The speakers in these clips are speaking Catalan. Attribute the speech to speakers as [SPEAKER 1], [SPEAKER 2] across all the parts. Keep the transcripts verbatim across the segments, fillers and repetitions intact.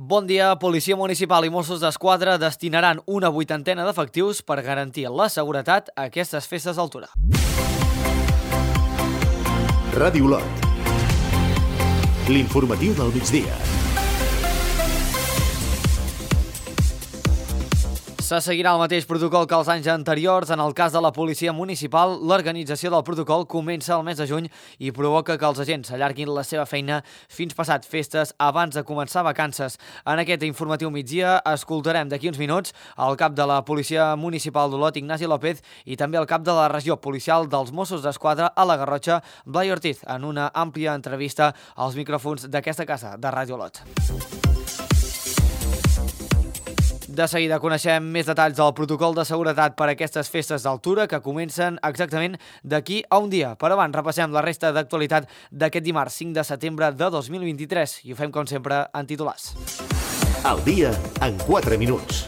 [SPEAKER 1] Bon dia. Policia Municipal i Mossos d'Esquadra destinaran una vuitantena d'efectius per garantir la seguretat a aquestes festes d'altura.
[SPEAKER 2] Ràdio Lot. L'informatiu del migdia.
[SPEAKER 1] Se seguirà el mateix protocol que els anys anteriors. En el cas de la policia municipal, l'organització del protocol comença el mes de juny i provoca que els agents allarguin la seva feina fins passat festes abans de començar vacances. En aquest informatiu migdia escoltarem d'aquí uns minuts el cap de la policia municipal d'Olot, Ignasi López, i també el cap de la regió policial dels Mossos d'Esquadra a la Garrotxa, Blai Ortiz, en una àmplia entrevista als micròfons d'aquesta casa de Ràdio Olot. De seguida coneixem més detalls del protocol de seguretat per a aquestes festes d'altura que comencen exactament d'aquí a un dia. Però abans repassem la resta d'actualitat d'aquest dimarts cinc de setembre de dos mil vint-i-tres i ho fem com sempre en titulars.
[SPEAKER 2] Al dia en quatre minuts.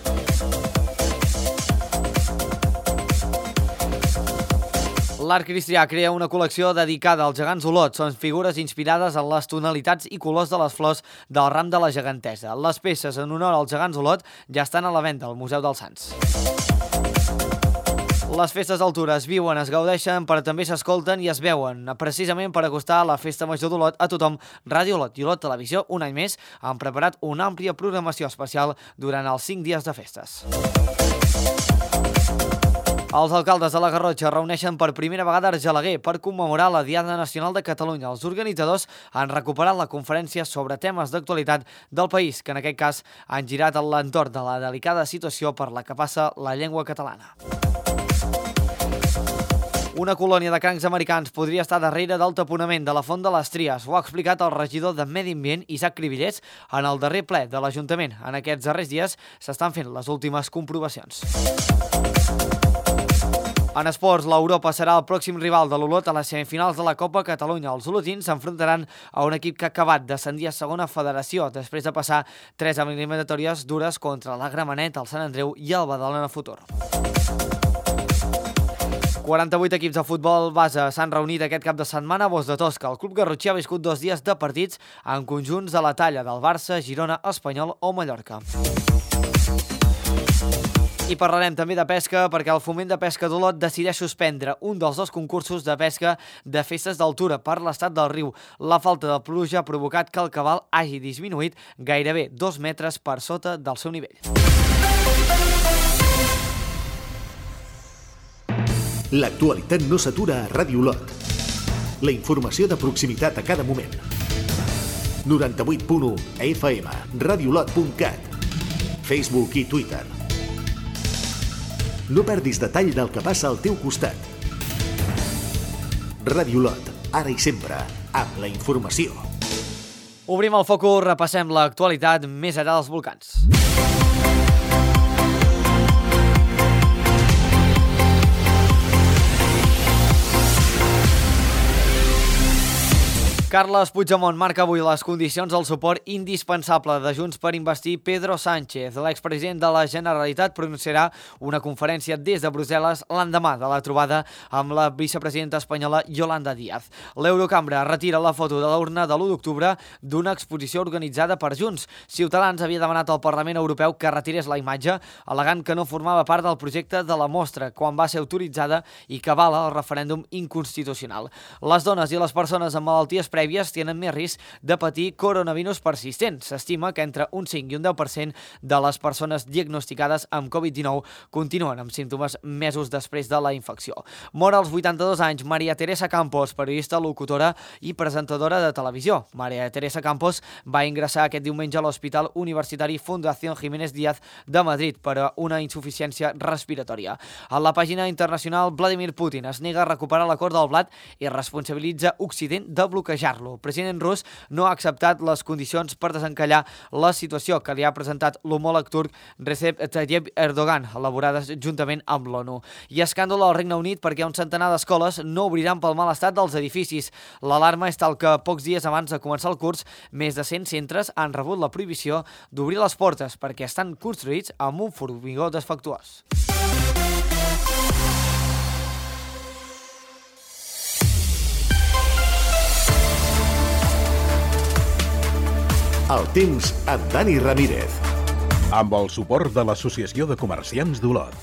[SPEAKER 1] L'Art Cristià crea una col·lecció dedicada als gegants Olot. Són figures inspirades en les tonalitats i colors de les flors del ram de la gegantesa. Les peces en honor als gegants Olot ja estan a la venda al Museu dels Sants. Les festes d'altura es viuen, es gaudeixen, però també s'escolten i es veuen. Precisament per acostar la Festa Major d'Olot a tothom, Ràdio Olot i Olot Televisió, un any més, han preparat una àmplia programació especial durant els cinc dies de festes. Els alcaldes de la Garrotxa reuneixen per primera vegada a Argelaguer per commemorar la Diada Nacional de Catalunya. Els organitzadors han recuperat la conferència sobre temes d'actualitat del país, que en aquest cas han girat a l'entorn de la delicada situació per la que passa la llengua catalana. Una colònia de crancs americans podria estar darrere del taponament de la Font de les Tries. Ho ha explicat el regidor de Medi Ambient, Isaac Cribillers, en el darrer ple de l'Ajuntament. En aquests darrers dies s'estan fent les últimes comprovacions. En esports, l'Europa serà el pròxim rival de l'Olot a les semifinals de la Copa Catalunya. Els olotins s'enfrontaran a un equip que ha acabat d'ascendir a segona federació després de passar tres eliminatòries dures contra la Gramenet, el Sant Andreu i el Badalona Futur. quaranta-vuit equips de futbol base s'han reunit aquest cap de setmana a Bos de Tosca. El club garrotxí ha viscut dos dies de partits en conjunts de la talla del Barça, Girona, Espanyol o Mallorca. I parlarem també de pesca perquè el Foment de Pesca d'Olot decideix suspendre un dels dos concursos de pesca de festes d'altura per l'estat del riu. La falta de pluja ha provocat que el cabal hagi disminuït gairebé dos metres per sota del seu nivell.
[SPEAKER 2] L'actualitat no s'atura a Ràdio Olot. La informació de proximitat a cada moment. noranta-vuit punt u F M, radiolot punt cat, Facebook i Twitter. No perdis detall del que passa al teu costat. Ràdio Olot, ara i sempre, amb la informació.
[SPEAKER 1] Obrim el focus, repassem l'actualitat més enllà dels volcans. Carles Puigdemont marca avui les condicions del suport indispensable de Junts per investir Pedro Sánchez. L'expresident de la Generalitat pronunciarà una conferència des de Brussel·les l'endemà de la trobada amb la vicepresidenta espanyola Yolanda Díaz. L'Eurocambra retira la foto de l'urna de l'u d'octubre d'una exposició organitzada per Junts. Ciutadans havia demanat al Parlament Europeu que retirés la imatge, al·legant que no formava part del projecte de la mostra quan va ser autoritzada i que avala el referèndum inconstitucional. Les dones i les persones amb malalties prèvies tenen més risc de patir coronavirus persistent. S'estima que entre un cinc i un deu per cent de les persones diagnosticades amb covid dinou continuen amb símptomes mesos després de la infecció. Mor als vuitanta-dos anys Maria Teresa Campos, periodista, locutora i presentadora de televisió. Maria Teresa Campos va ingressar aquest diumenge a l'Hospital Universitari Fundación Jiménez Díaz de Madrid per a una insuficiència respiratòria. A la pàgina internacional, Vladimir Putin es nega a recuperar l'acord del blat i responsabilitza Occident de bloquejar El president rus no ha acceptat les condicions per desencallar la situació que li ha presentat l'homòleg turc Recep Tayyip Erdogan, elaborades juntament amb l'ONU. I escàndol al Regne Unit perquè un centenar d'escoles no obriran pel mal estat dels edificis. L'alarma és tal que pocs dies abans de començar el curs, més de cent centres han rebut la prohibició d'obrir les portes perquè estan construïts amb un formigó defectuós.
[SPEAKER 2] El temps amb Dani Ramírez.
[SPEAKER 3] Amb el suport de l'Associació de Comerciants d'Olot.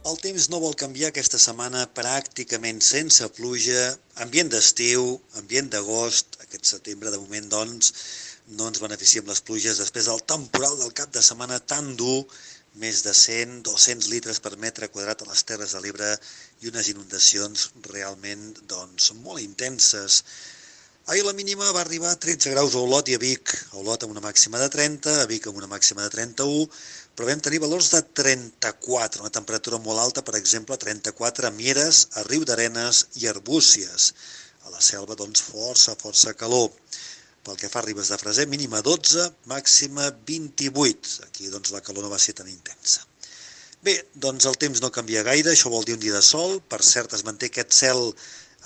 [SPEAKER 4] El temps no vol canviar aquesta setmana, pràcticament sense pluja, ambient d'estiu, ambient d'agost, aquest setembre de moment doncs no ens beneficiem les pluges després del temporal del cap de setmana tan dur, més de cent a dos-cents litres per metre quadrat a les Terres de l'Ebre i unes inundacions realment doncs molt intenses. Ahir la mínima va arribar a tretze graus a Olot i a Vic, a Olot amb una màxima de trenta, a Vic amb una màxima de trenta-u, però vam tenir valors de trenta-quatre, una temperatura molt alta, per exemple, trenta-quatre a Mieres, a Riudarenes i Arbúcies. A la Selva, doncs, força, força calor. Pel que fa a Ribes de Freser, mínima dotze, màxima vint-i-vuit. Aquí, doncs, la calor no va ser tan intensa. Bé, doncs el temps no canvia gaire, això vol dir un dia de sol. Per cert, es manté aquest cel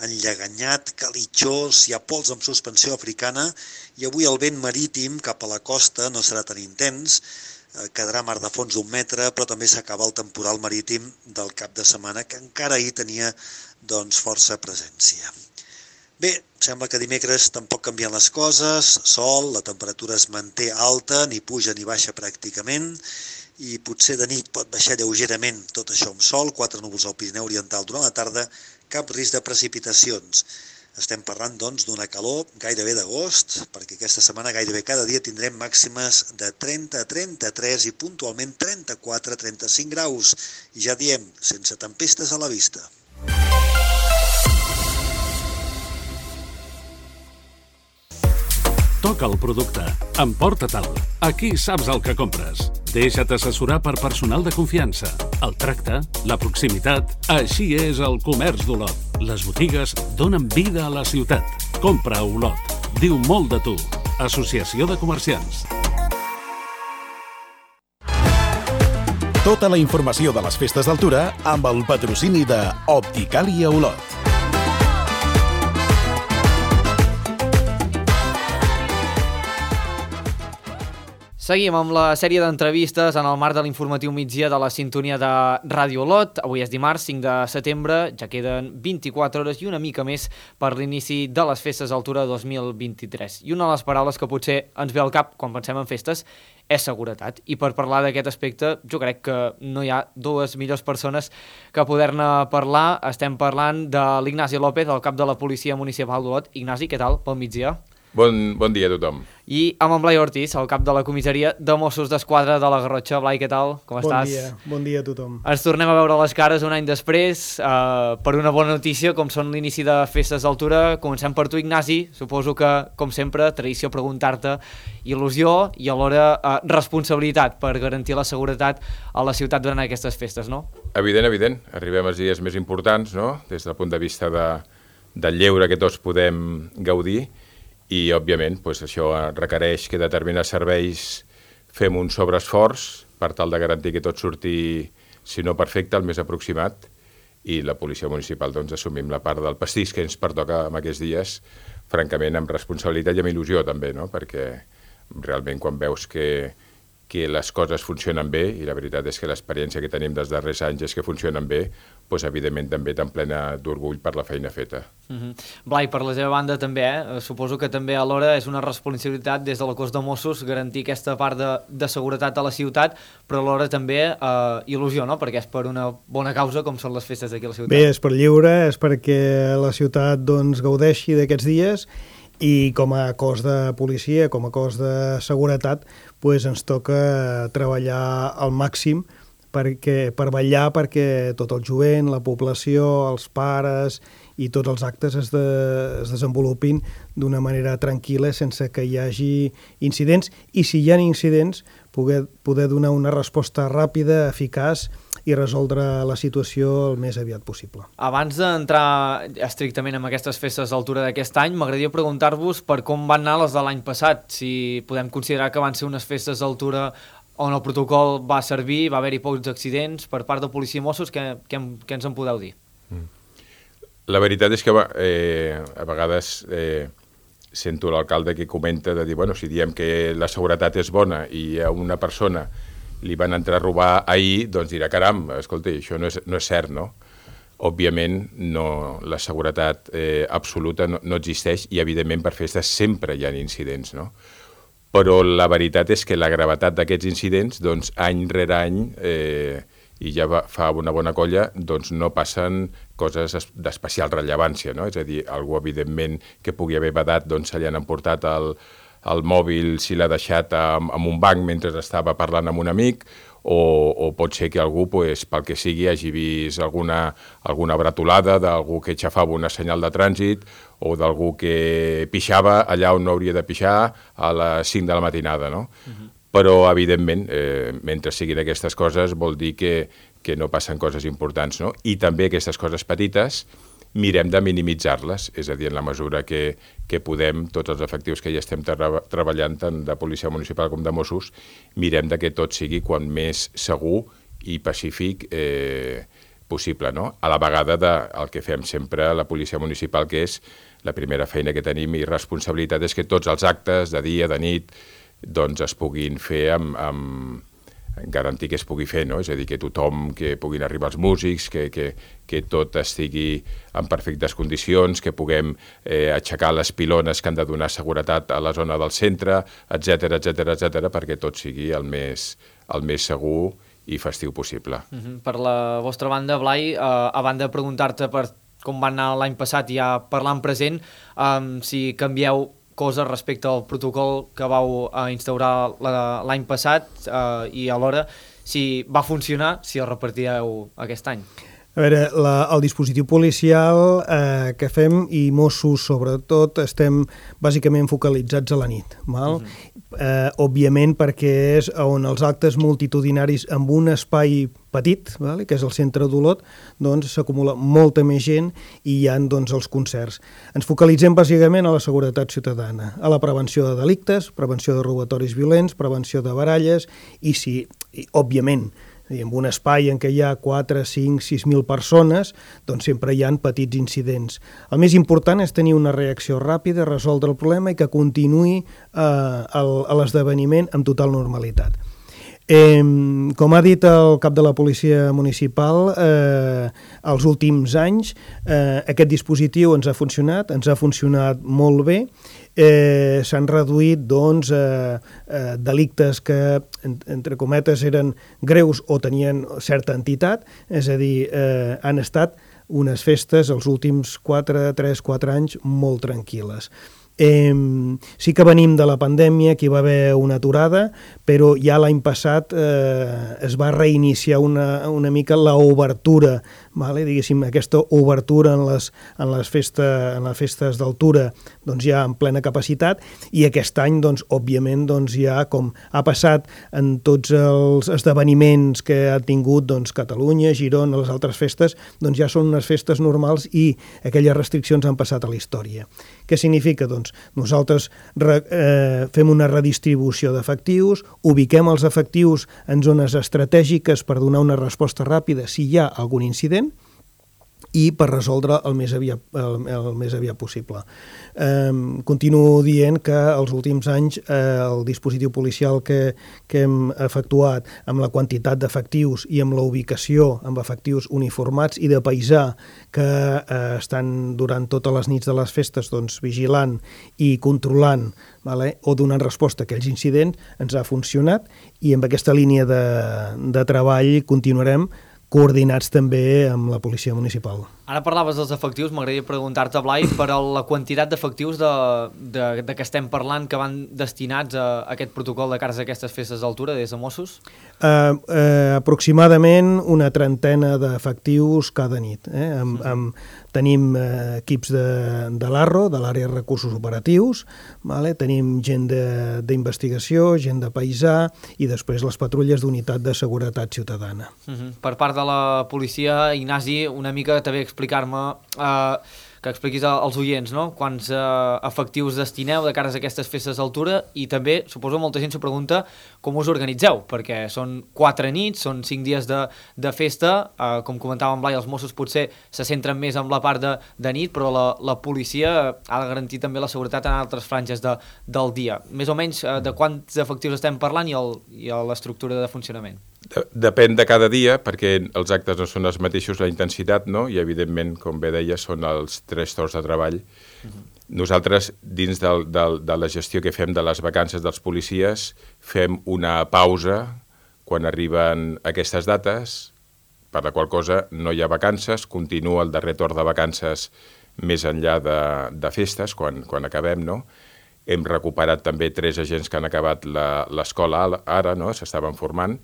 [SPEAKER 4] enlleganyat, calitjós, hi ha pols amb suspensió africana i avui el vent marítim cap a la costa no serà tan intens, quedarà mar de fons d'un metre, però també s'acaba el temporal marítim del cap de setmana, que encara ahir tenia doncs, força presència. Bé, sembla que dimecres tampoc canvien les coses, sol, la temperatura es manté alta, ni puja ni baixa pràcticament, i potser de nit pot baixar lleugerament tot això amb sol, quatre núvols al Pirineu Oriental durant la tarda, cap risc de precipitacions. Estem parlant, doncs, d'una calor gairebé d'agost, perquè aquesta setmana gairebé cada dia tindrem màximes de trenta a trenta-tres i puntualment trenta-quatre a trenta-cinc graus. I ja diem, sense tempestes a la vista.
[SPEAKER 3] Toca el producte, emporta-te'l. Aquí saps el que compres. Deixa't assessorar per personal de confiança. El tracte, la proximitat, així és el comerç d'Olot. Les botigues donen vida a la ciutat. Compra a Olot. Diu molt de tu. Associació de Comerciants.
[SPEAKER 5] Tota la informació de les festes d'altura amb el patrocini de Opticàlia Olot.
[SPEAKER 1] Seguim amb la sèrie d'entrevistes en el marc de l'informatiu migdia de la sintonia de Ràdio Olot. Avui és dimarts, cinc de setembre, ja queden vint-i-quatre hores i una mica més per l'inici de les festes d'altura dos mil vint-i-tres. I una de les paraules que potser ens ve al cap quan pensem en festes és seguretat. I per parlar d'aquest aspecte, jo crec que no hi ha dues millors persones que poder-ne parlar. Estem parlant de l'Ignasi López, el cap de la Policia Municipal d'Olot. Ignasi, què tal? Pel migdia.
[SPEAKER 6] Bon, bon dia a tothom.
[SPEAKER 1] I amb en Blai Ortiz, el cap de la comissaria de Mossos d'Esquadra de la Garrotxa. Blai, què tal? Com
[SPEAKER 7] bon
[SPEAKER 1] estàs?
[SPEAKER 7] Dia, bon dia a tothom.
[SPEAKER 1] Ens tornem a veure les cares un any després eh, per una bona notícia, com són l'inici de festes d'altura. Comencem per tu, Ignasi. Suposo que, com sempre, tradició preguntar-te il·lusió i alhora eh, responsabilitat per garantir la seguretat a la ciutat durant aquestes festes, no?
[SPEAKER 6] Evident, evident. Arribem als dies més importants, no?, des del punt de vista de, del lleure que tots podem gaudir. I, òbviament, doncs això requereix que determinats serveis fem un sobreesforç per tal de garantir que tot surti, si no perfecte, el més aproximat, i la policia municipal doncs, assumim la part del pastís que ens pertoca en aquests dies, francament, amb responsabilitat i amb il·lusió també, no? Perquè realment quan veus que, que les coses funcionen bé, i la veritat és que l'experiència que tenim dels darrers anys és que funcionen bé, doncs evidentment també tan plena d'orgull per la feina feta.
[SPEAKER 1] Uh-huh. Blai, per la seva banda també, eh? Suposo que també alhora és una responsabilitat des de la cos de Mossos garantir aquesta part de, de seguretat a la ciutat, però alhora també eh, il·lusió, no? Perquè és per una bona causa com són les festes d'aquí a la ciutat.
[SPEAKER 7] Bé, és per lliure, és perquè la ciutat doncs, gaudeixi d'aquests dies i com a cos de policia, com a cos de seguretat, doncs ens toca treballar al màxim perquè, per vetllar perquè tot el jovent, la població, els pares i tots els actes es, de, es desenvolupin d'una manera tranquil·la sense que hi hagi incidents i si hi ha incidents poder, poder donar una resposta ràpida, eficaç i resoldre la situació el més aviat possible.
[SPEAKER 1] Abans d'entrar estrictament en aquestes festes d'altura d'aquest any, m'agradaria preguntar-vos per com van anar les de l'any passat, si podem considerar que van ser unes festes d'altura on el protocol va servir, va haver-hi pocs accidents per part de policia i Mossos, què, què, què ens en podeu dir?
[SPEAKER 6] La veritat és que eh, a vegades eh, sento l'alcalde que comenta de dir, bueno, si diem que la seguretat és bona i a una persona li van entrar a robar ahir, doncs dirà, caram, escolta, això no és, no és cert, no? òbviament no, la seguretat eh, absoluta no, no existeix i evidentment per festes sempre hi ha incidents, no? Però la veritat és que la gravetat d'aquests incidents, doncs any rere any, eh, i ja va, fa una bona colla, doncs no passen coses d'especial rellevància, no? És a dir, algú evidentment que pugui haver badat, doncs se li han emportat el, el mòbil si l'ha deixat en, en un banc mentre estava parlant amb un amic, o, o pot ser que algú, pues, pel que sigui, hagi vist alguna, alguna bretolada d'algú que aixafava una senyal de trànsit o d'algú que pixava allà on no hauria de pixar a les cinc de la matinada, no? Uh-huh. Però, evidentment, eh, mentre siguin aquestes coses, vol dir que, que no passen coses importants, no? I també aquestes coses petites mirem de minimitzar-les, és a dir, en la mesura que, que podem, tots els efectius que ja estem tra- treballant, tant de policia municipal com de Mossos, mirem de que tot sigui quan més segur i pacífic eh, possible, no? A la vegada del que fem sempre a la policia municipal, que és la primera feina que tenim i responsabilitat, és que tots els actes de dia, de nit, doncs es puguin fer amb, amb garantir que es pugui fer, no? És a dir, que tothom, que puguin arribar els músics, que, que, que tot estigui en perfectes condicions, que puguem eh, aixecar les pilones que han de donar seguretat a la zona del centre, etcètera, etcètera, etcètera, perquè tot sigui el més, el més segur i festiu possible.
[SPEAKER 1] Uh-huh. Per la vostra banda, Blai, eh, a banda de preguntar-te per com va anar l'any passat i ja parlant present, eh, si canvieu coses respecte al protocol que vau uh, instaurar l'any passat uh, i alhora si va funcionar, si el repartireu aquest any.
[SPEAKER 7] A veure, la, el dispositiu policial eh, que fem i Mossos sobretot estem bàsicament focalitzats a la nit, val? Uh-huh. eh, òbviament perquè és on els actes multitudinaris amb un espai petit, vale? Que és el centre d'Olot, doncs s'acumula molta més gent i hi ha doncs, els concerts. Ens focalitzem bàsicament a la seguretat ciutadana, a la prevenció de delictes, prevenció de robatoris violents, prevenció de baralles i, sí, i òbviament, en un espai en què hi ha quatre, cinc, sis mil persones, doncs sempre hi ha petits incidents. El més important és tenir una reacció ràpida, resoldre el problema i que continuï eh, l'esdeveniment amb total normalitat. Eh, com ha dit el cap de la policia municipal, eh, els últims anys eh, aquest dispositiu ens ha funcionat, ens ha funcionat molt bé. Eh, s'han reduït doncs, eh, eh, delictes que, en, entre cometes, eren greus o tenien certa entitat, és a dir, eh, han estat unes festes els últims quatre, tres, quatre anys molt tranquil·les. Eh, sí que venim de la pandèmia, que hi va haver una aturada, però ja l'any passat eh, es va reiniciar una, una mica l'obertura, vale? Diguéssim, aquesta obertura en les, en les, festa, en les festes d'altura doncs ja en plena capacitat, i aquest any, doncs, òbviament, doncs, ja com ha passat en tots els esdeveniments que ha tingut doncs, Catalunya, Girona, les altres festes, doncs ja són unes festes normals i aquelles restriccions han passat a la història. Què significa? Doncs nosaltres re, eh, fem una redistribució d'efectius, ubiquem els efectius en zones estratègiques per donar una resposta ràpida si hi ha algun incident i per resoldre el més aviat, el, el més aviat possible. Eh, continuo dient que els últims anys eh, el dispositiu policial que, que hem efectuat amb la quantitat d'efectius i amb la ubicació amb efectius uniformats i de paisà que eh, estan durant totes les nits de les festes doncs, vigilant i controlant, vale? O donant resposta a aquells incidents, ens ha funcionat, i amb aquesta línia de, de treball continuarem coordinats també amb la policia municipal.
[SPEAKER 1] Ara parlaves dels efectius, m'agradaria preguntar-te, Blai, per la quantitat d'efectius de, de, de què estem parlant que van destinats a aquest protocol de cares a aquestes festes d'altura des de Mossos?
[SPEAKER 7] Uh, uh, aproximadament una trentena d'efectius cada nit. Eh? Amb, amb, tenim uh, equips de, de l'Arro, de l'àrea de recursos operatius, vale? Tenim gent d'investigació, gent de paisà i després les patrulles d'unitat de seguretat ciutadana.
[SPEAKER 1] Uh-huh. Per part de la policia, Ignasi, una mica també explicar-me, eh, que expliquis als oients, no? Quants eh, efectius destineu de cares a aquestes festes d'altura, i també, suposo, molta gent s'ho pregunta com us organitzeu, perquè són quatre nits, són cinc dies de, de festa, eh, com comentava en Blai, els Mossos potser se centren més en la part de, de nit, però la, la policia ha de garantir també la seguretat en altres franges de, del dia. Més o menys, eh, de quants efectius estem parlant i, el, i l'estructura de funcionament?
[SPEAKER 6] de, depèn de cada dia, perquè els actes no són els mateixos, la intensitat, no? I evidentment, com bé deia, són els tres torns de treball. Uh-huh. Nosaltres, dins del, del, de la gestió que fem de les vacances dels policies, fem una pausa quan arriben aquestes dates, per la qual cosa no hi ha vacances, continua el darrer torn de vacances més enllà de, de festes, quan, quan acabem, no? Hem recuperat també tres agents que han acabat l'escola ara, no? S'estaven formant.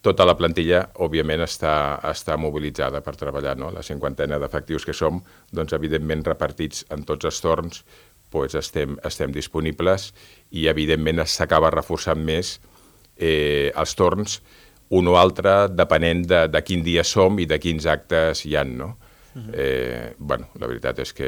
[SPEAKER 6] Tota la plantilla, òbviament, està, està mobilitzada per treballar, no? La cinquantena d'efectius que som, doncs, evidentment, repartits en tots els torns, doncs estem, estem disponibles i, evidentment, s'acaba reforçant més eh, els torns, un o altre, depenent de, de quin dia som i de quins actes hi ha, no? Uh-huh. Eh, bueno, la veritat és que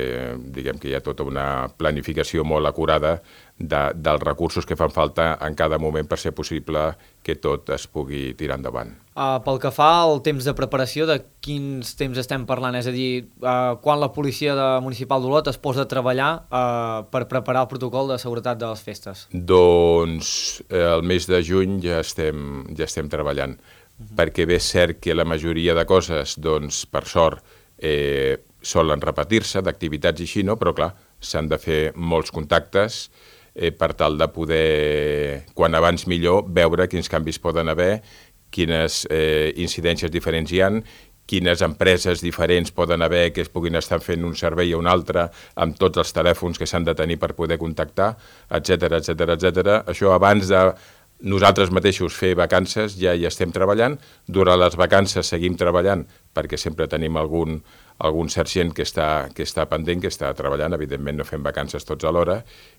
[SPEAKER 6] diguem que hi ha tota una planificació molt acurada de, dels recursos que fan falta en cada moment per ser possible que tot es pugui tirar endavant.
[SPEAKER 1] Uh, pel que fa al temps de preparació, de quins temps estem parlant? És a dir, uh, quan la policia de municipal d'Olot es posa a treballar uh, per preparar el protocol de seguretat de les festes?
[SPEAKER 6] Doncs eh, el mes de juny ja estem, ja estem treballant, uh-huh. perquè bé és cert que la majoria de coses, doncs, per sort, Eh, solen repetir-se d'activitats i així, no? Però clar, s'han de fer molts contactes eh, per tal de poder, quan abans millor, veure quins canvis poden haver, quines eh, incidències diferents hi ha, quines empreses diferents poden haver que es puguin estar fent un servei a un altre amb tots els telèfons que s'han de tenir per poder contactar, etcètera, etcètera, etcètera. Això abans de nosaltres mateixos fer vacances ja hi estem treballant. Durant les vacances seguim treballant perquè sempre tenim algun, algun sergent que està, que està pendent, que està treballant. Evidentment no fem vacances tots alhora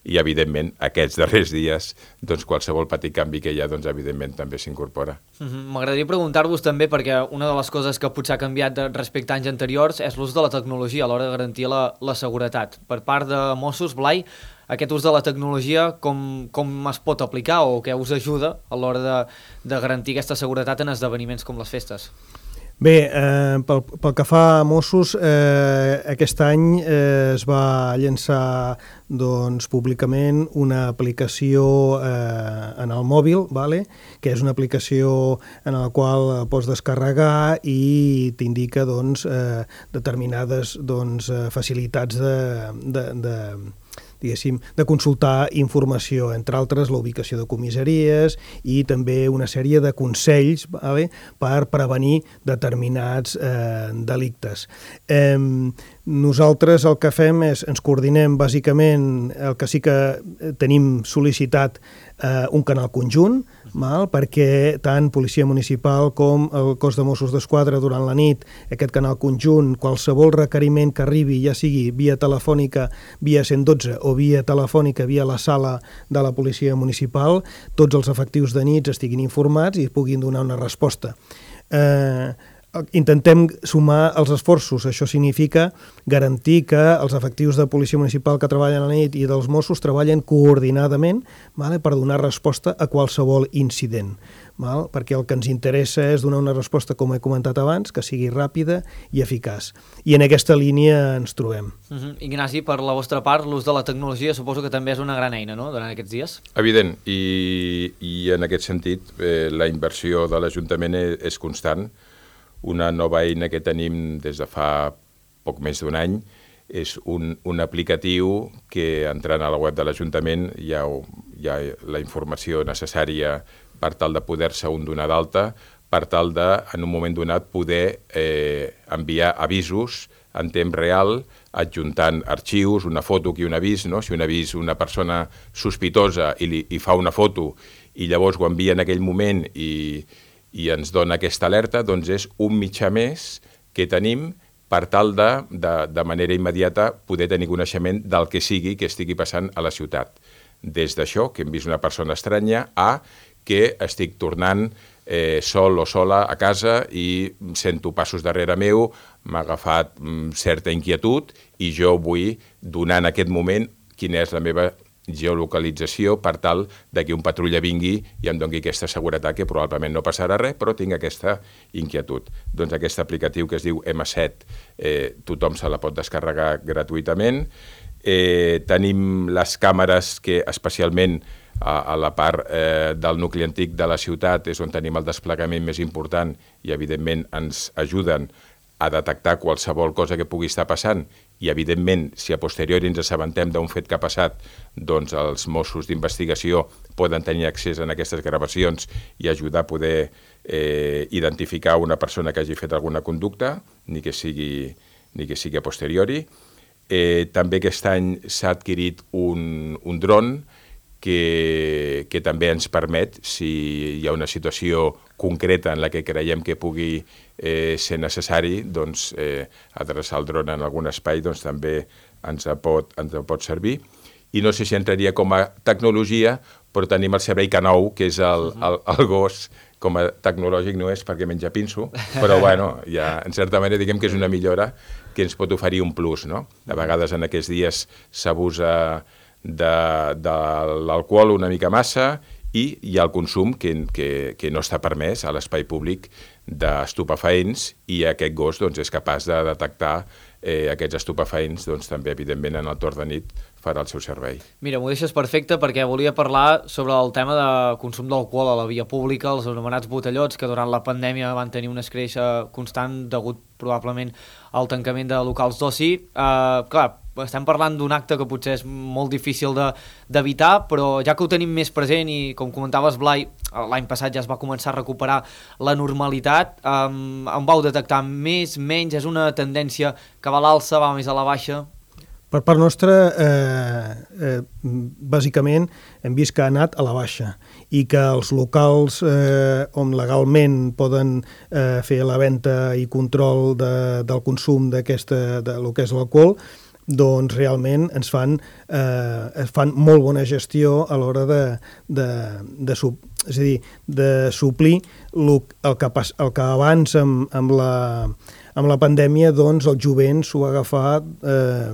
[SPEAKER 6] i evidentment aquests darrers dies doncs, qualsevol petit canvi que hi ha doncs, evidentment també s'incorpora.
[SPEAKER 1] Uh-huh. M'agradaria preguntar-vos també perquè una de les coses que potser ha canviat de, respecte a anys anteriors és l'ús de la tecnologia a l'hora de garantir la, la seguretat. Per part de Mossos, Blai, aquest ús de la tecnologia com, com es pot aplicar o què us ajuda a l'hora de, de garantir aquesta seguretat en esdeveniments com les festes?
[SPEAKER 7] Bé, eh, pel, pel que fa a Mossos, eh, aquest any eh, es va llançar doncs, públicament una aplicació eh, en el mòbil, vale? Que és una aplicació en la qual pots descarregar i t'indica doncs, eh, determinades doncs, facilitats de... de, de diguéssim, de consultar informació, entre altres la ubicació de comissaries i també una sèrie de consells, vale, per prevenir determinats eh, delictes. Eh, nosaltres el que fem és, ens coordinem bàsicament, el que sí que tenim sol·licitat eh, un canal conjunt, val, perquè tant Policia Municipal com el Cos de Mossos d'Esquadra durant la nit, aquest canal conjunt, qualsevol requeriment que arribi, ja sigui via telefònica, via cent dotze o via telefònica, via la sala de la Policia Municipal, tots els efectius de nits estiguin informats i puguin donar una resposta. Eh, intentem sumar els esforços, això significa garantir que els efectius de policia municipal que treballen a la nit i dels Mossos treballen coordinadament, vale, per donar resposta a qualsevol incident, val? Perquè el que ens interessa és donar una resposta, com he comentat abans, que sigui ràpida i eficaç. I en aquesta línia ens trobem.
[SPEAKER 1] Uh-huh. Ignasi, per la vostra part, l'ús de la tecnologia suposo que també és una gran eina, no?, durant aquests dies?
[SPEAKER 6] Evident, i, i en aquest sentit eh, la inversió de l'Ajuntament és, és constant. Una nova eina que tenim des de fa poc més d'un any és un, un aplicatiu que, entrant a la web de l'Ajuntament, hi ha, hi ha la informació necessària per tal de poder-se un donar d'alta, per tal de, en un moment donat, poder eh, enviar avisos en temps real, adjuntant arxius, una foto que un avís, no? Si un avís una persona sospitosa i, li, i fa una foto i llavors ho envia en aquell moment i i ens dona aquesta alerta, doncs és un mitjà més que tenim per tal de, de, de manera immediata, poder tenir coneixement del que sigui que estigui passant a la ciutat. Des d'això, que hem vist una persona estranya, a que estic tornant eh, sol o sola a casa i sento passos darrere meu, m'ha agafat mm, certa inquietud i jo vull donar en aquest moment quina és la meva geolocalització per tal de que un patrulla vingui i em doni aquesta seguretat que probablement no passarà res, però tinc aquesta inquietud. Doncs aquest aplicatiu que es diu ema set, eh, tothom se la pot descarregar gratuïtament. Eh, tenim les càmeres que especialment a, a la part eh, del nucli antic de la ciutat és on tenim el desplegament més important i, evidentment, ens ajuden a detectar qualsevol cosa que pugui estar passant i, evidentment, si a posteriori ens assabentem d'un fet que ha passat, doncs els Mossos d'investigació poden tenir accés a aquestes gravacions i ajudar a poder eh, identificar una persona que hagi fet alguna conducta, ni que sigui, ni que sigui a posteriori. Eh, també aquest any s'ha adquirit un, un dron que, que també ens permet, si hi ha una situació concreta en la que creiem que pugui eh, ser necessari, doncs, eh, adreçar el dron en algun espai doncs, també ens pot, ens pot servir. I no sé si entraria com a tecnologia, però tenim el servei K nou, que és el, el, el gos, com a tecnològic no és perquè menja pinso, però bueno, ja, en certa manera diguem que és una millora que ens pot oferir un plus, no? De vegades en aquests dies s'abusa de, de l'alcohol una mica massa i hi ha el consum que, que, que no està permès a l'espai públic d'estupefaents i aquest gos doncs, és capaç de detectar eh, aquests estupefaents, doncs, també evidentment en el torn de nit farà el seu servei.
[SPEAKER 1] Mira, m'ho deixes perfecte perquè volia parlar sobre el tema de consum d'alcohol a la via pública, els anomenats botellots, que durant la pandèmia van tenir una escreixa constant degut probablement al tancament de locals d'oci. Uh, clar, estem parlant d'un acte que potser és molt difícil d'evitar, de, però ja que ho tenim més present i, com comentaves, Blai, l'any passat ja es va començar a recuperar la normalitat, um, en vau detectar més, menys, és una tendència que va a l'alça, va més a la baixa?
[SPEAKER 7] Per part nostra, eh, eh, bàsicament, hem vist que ha anat a la baixa i que els locals eh, on legalment poden eh, fer la venda i control de, del consum d'aquesta, de lo que és l'alcohol, doncs realment ens fan, eh, fan molt bona gestió a l'hora de, de, de, sub, és a dir, de suplir lo, el, que pas, el que abans amb, amb, la, amb la pandèmia doncs, el jovent s'ho ha agafat eh,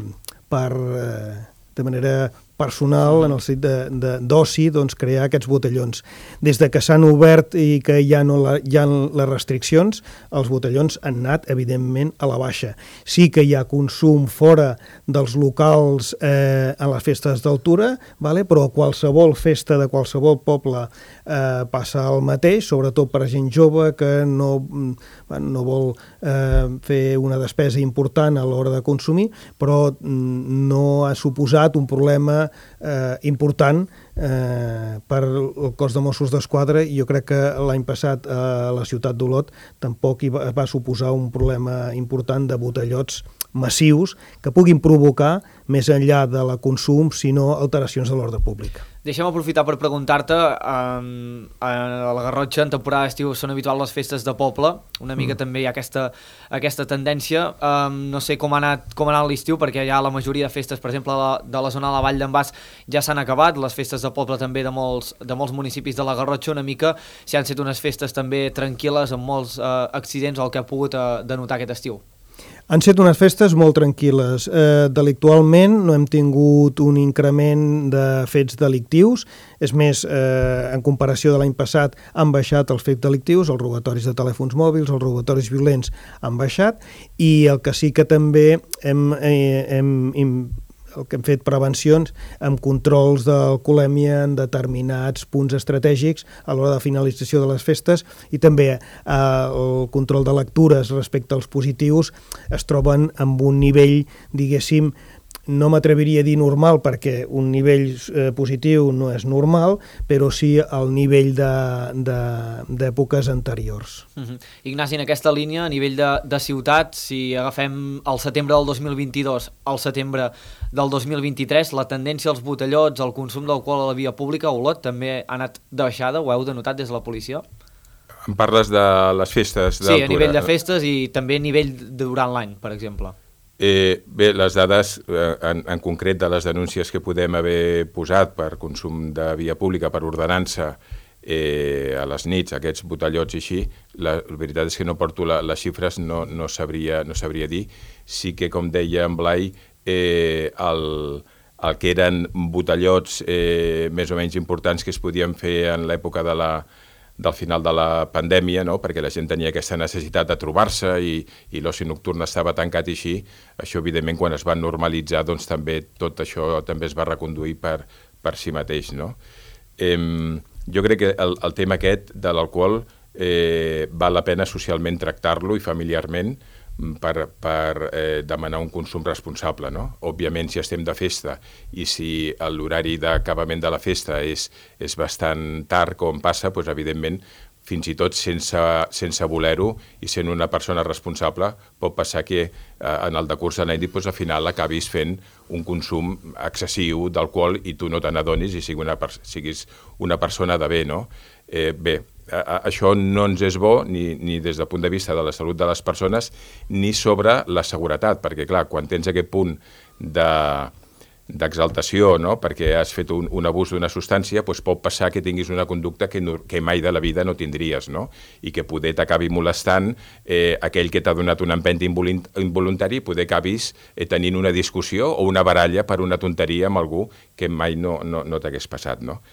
[SPEAKER 7] per, eh, de manera personal, en el sentit d'oci, doncs, crear aquests botellons. Des de que s'han obert i que ja no la, hi ha les restriccions, els botellons han anat, evidentment, a la baixa. Sí que hi ha consum fora dels locals eh, en les festes d'altura, vale? Però qualsevol festa de qualsevol poble eh, passa el mateix, sobretot per a gent jove que no, no vol eh, fer una despesa important a l'hora de consumir, però no ha suposat un problema Eh, important eh, per el cos de Mossos d'Esquadra i jo crec que l'any passat a la ciutat d'Olot tampoc hi va, va suposar un problema important de botellots massius que puguin provocar, més enllà de la consum, sinó alteracions de l'ordre públic.
[SPEAKER 1] Deixem aprofitar per preguntar-te, um, a la Garrotxa en temporada d'estiu són habituals les festes de poble, una mica mm. també hi ha aquesta, aquesta tendència, um, no sé com ha anat, com ha anat l'estiu, perquè ja la majoria de festes, per exemple, la, de la zona de la Vall d'en Bas ja s'han acabat, les festes de poble també de molts, de molts municipis de la Garrotxa, una mica si han estat unes festes també tranquil·les, amb molts uh, accidents, el que ha pogut uh, denotar aquest estiu.
[SPEAKER 7] Han estat unes festes molt tranquil·les. Eh, delictualment no hem tingut un increment de fets delictius. És més, eh, en comparació de l'any passat han baixat els fets delictius, els robatoris de telèfons mòbils, els robatoris violents han baixat, i el que sí que també hem... Eh, hem, hem el que hem fet prevencions amb controls d'alcoholèmia en determinats punts estratègics a l'hora de finalització de les festes i també eh, el control de lectures respecte als positius es troben amb un nivell, diguéssim, no m'atreviria a dir normal perquè un nivell eh, positiu no és normal, però sí al nivell d'èpoques anteriors.
[SPEAKER 1] Uh-huh. Ignasi, en aquesta línia, a nivell de, de ciutat, si agafem el setembre del dos mil vint-i-dos al setembre del dos mil vint-i-tres, la tendència als botellots, al consum d'alcohol a la via pública, a Olot, també ha anat de baixada, ho heu denotat des de la policia?
[SPEAKER 6] Em parles de les festes d'altura?
[SPEAKER 1] Sí, a nivell de festes i també a nivell de durant l'any, per exemple.
[SPEAKER 6] Eh, bé, les dades, eh, en, en concret de les denúncies que podem haver posat per consum de via pública, per ordenança, eh, a les nits, aquests botellots i així, la, la veritat és que no porto la, les xifres, no, no, sabria, no sabria dir. Sí que, com deia en Blai, eh, el, el que eren botellots eh, més o menys importants que es podien fer en l'època de la del final de la pandèmia, no? Perquè la gent tenia aquesta necessitat de trobar-se i, i l'oci nocturn estava tancat i així, això evidentment quan es va normalitzar doncs també tot això també es va reconduir per, per si mateix, no? eh, jo crec que el, el tema aquest de l'alcohol eh, val la pena socialment tractar-lo i familiarment per, per eh, demanar un consum responsable, no? Òbviament, si estem de festa i si l'horari d'acabament de la festa és, és bastant tard, com passa, doncs, evidentment, fins i tot sense, sense voler-ho i sent una persona responsable, pot passar que eh, en el decurs de la nit doncs, al final acabis fent un consum excessiu d'alcohol i tu no te n'adonis i siguis una, siguis una persona de bé, no? Eh, bé, a, a, això no ens és bo ni, ni des del punt de vista de la salut de les persones ni sobre la seguretat, perquè clar, quan tens aquest punt de d'exaltació, no? Perquè has fet un, un abús d'una substància, doncs pot passar que tinguis una conducta que, no, que mai de la vida no tindries, no? I que poder t'acabi molestant eh, aquell que t'ha donat un empenta involuntari, poder acabis eh, tenint una discussió o una baralla per una tonteria amb algú que mai no, no, no t'hagués passat, no?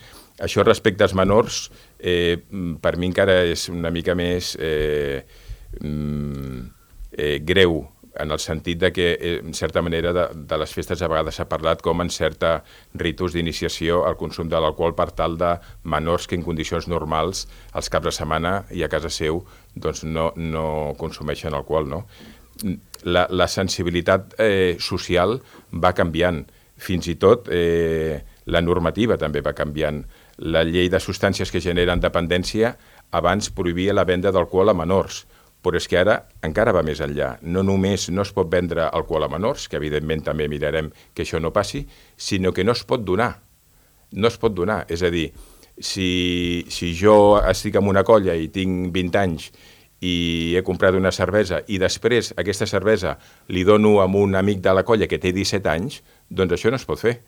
[SPEAKER 6] Això respecte als menors, eh, per mi encara és una mica més eh, eh, greu, en el sentit de que, en certa manera, de, de les festes a vegades s'ha parlat com en certa ritus d'iniciació al consum de l'alcohol per tal de menors que en condicions normals, als caps de setmana i a casa seu, doncs no, no consumeixen alcohol, no? La, la sensibilitat eh, social va canviant, fins i tot eh, la normativa també va canviant. La llei de substàncies que generen dependència abans prohibia la venda d'alcohol a menors, però és que ara encara va més enllà. No només no es pot vendre alcohol a menors, que evidentment també mirarem que això no passi, sinó que no es pot donar. No es pot donar. És a dir, si, si jo estic en una colla i tinc vint anys i he comprat una cervesa i després aquesta cervesa li dono a un amic de la colla que té disset anys, doncs això no es pot fer.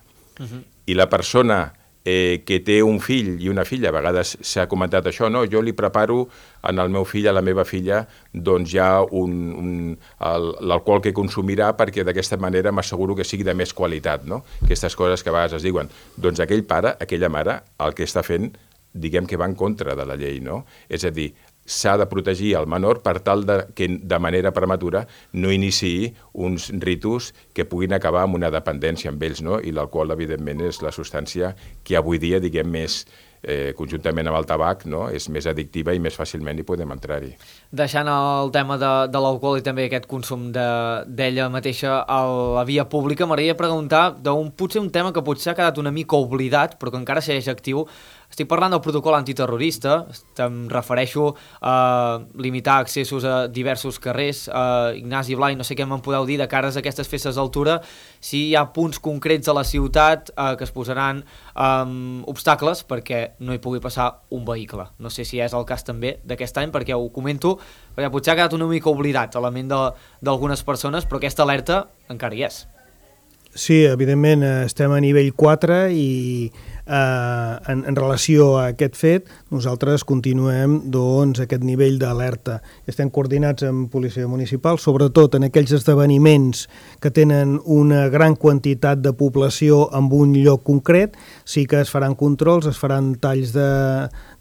[SPEAKER 6] Uh-huh. I la persona Eh, que té un fill i una filla, a vegades s'ha comentat això, no? Jo li preparo en el meu fill, a la meva filla, doncs ja un, un, l'alcohol que consumirà perquè d'aquesta manera m'asseguro que sigui de més qualitat, no? Aquestes coses que a vegades es diuen. Doncs aquell pare, aquella mare, el que està fent, diguem que va en contra de la llei, no? És a dir, s'ha de protegir el menor per tal de, que de manera prematura no iniciï uns ritus que puguin acabar amb una dependència amb ells, no? I l'alcohol, evidentment, és la substància que avui dia, diguem, més eh, conjuntament amb el tabac, no? És més addictiva i més fàcilment hi podem entrar-hi.
[SPEAKER 1] Deixant el tema de, de l'alcohol i també aquest consum d'ella de, mateixa a la via pública, m'agradaria preguntar d'un potser un tema que potser ha quedat una mica oblidat, però que encara segueix actiu. Estic parlant del protocol antiterrorista, em refereixo a limitar accessos a diversos carrers. Uh, Ignasi Blai, no sé què me'n podeu dir de cares a aquestes festes d'altura, si hi ha punts concrets a la ciutat uh, que es posaran um, obstacles perquè no hi pugui passar un vehicle. No sé si és el cas també d'aquest any, perquè ho comento, perquè potser ha quedat una mica oblidat a la ment d'algunes persones, però aquesta alerta encara hi és.
[SPEAKER 7] Sí, evidentment estem a nivell quatre i eh, en, en relació a aquest fet nosaltres continuem doncs, aquest nivell d'alerta. Estem coordinats amb policia municipal, sobretot en aquells esdeveniments que tenen una gran quantitat de població en un lloc concret, sí que es faran controls, es faran talls de,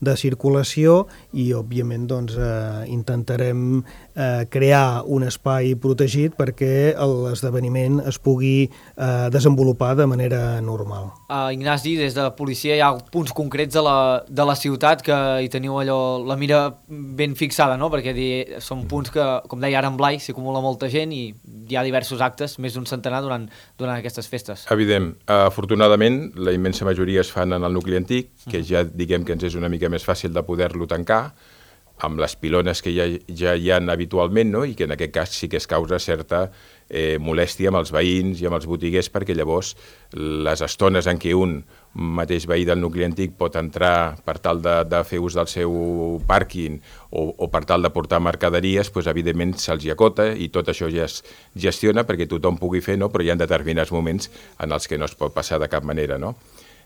[SPEAKER 7] de circulació i òbviament doncs, eh, intentarem eh, crear un espai protegit perquè l'esdeveniment es pugui eh, desenvolupar de manera normal.
[SPEAKER 1] Uh, Ignasi, des de la policia hi ha punts concrets de la, de la ciutat que hi teniu allò, la mira ben fixada, no? Perquè di, són punts que, com deia ara en Blai, s'hi acumula molta gent i hi ha diversos actes, més d'un centenar durant, durant aquestes festes.
[SPEAKER 6] Evident. Uh, afortunadament, la immensa majoria es fan en el nucli antic, que ja diguem que ens és una mica més fàcil de poder-lo tancar, amb les pilones que ja, ja hi ha habitualment, no? I que en aquest cas sí que es causa certa eh, molèstia amb els veïns i amb els botiguers, perquè llavors les estones en què un mateix veí del nucli antic pot entrar per tal de, de fer ús del seu pàrquing o, o per tal de portar mercaderies, doncs, evidentment se'ls hi acota i tot això ja es gestiona perquè tothom pugui fer, no? Però hi ha determinats moments en els que no es pot passar de cap manera, no?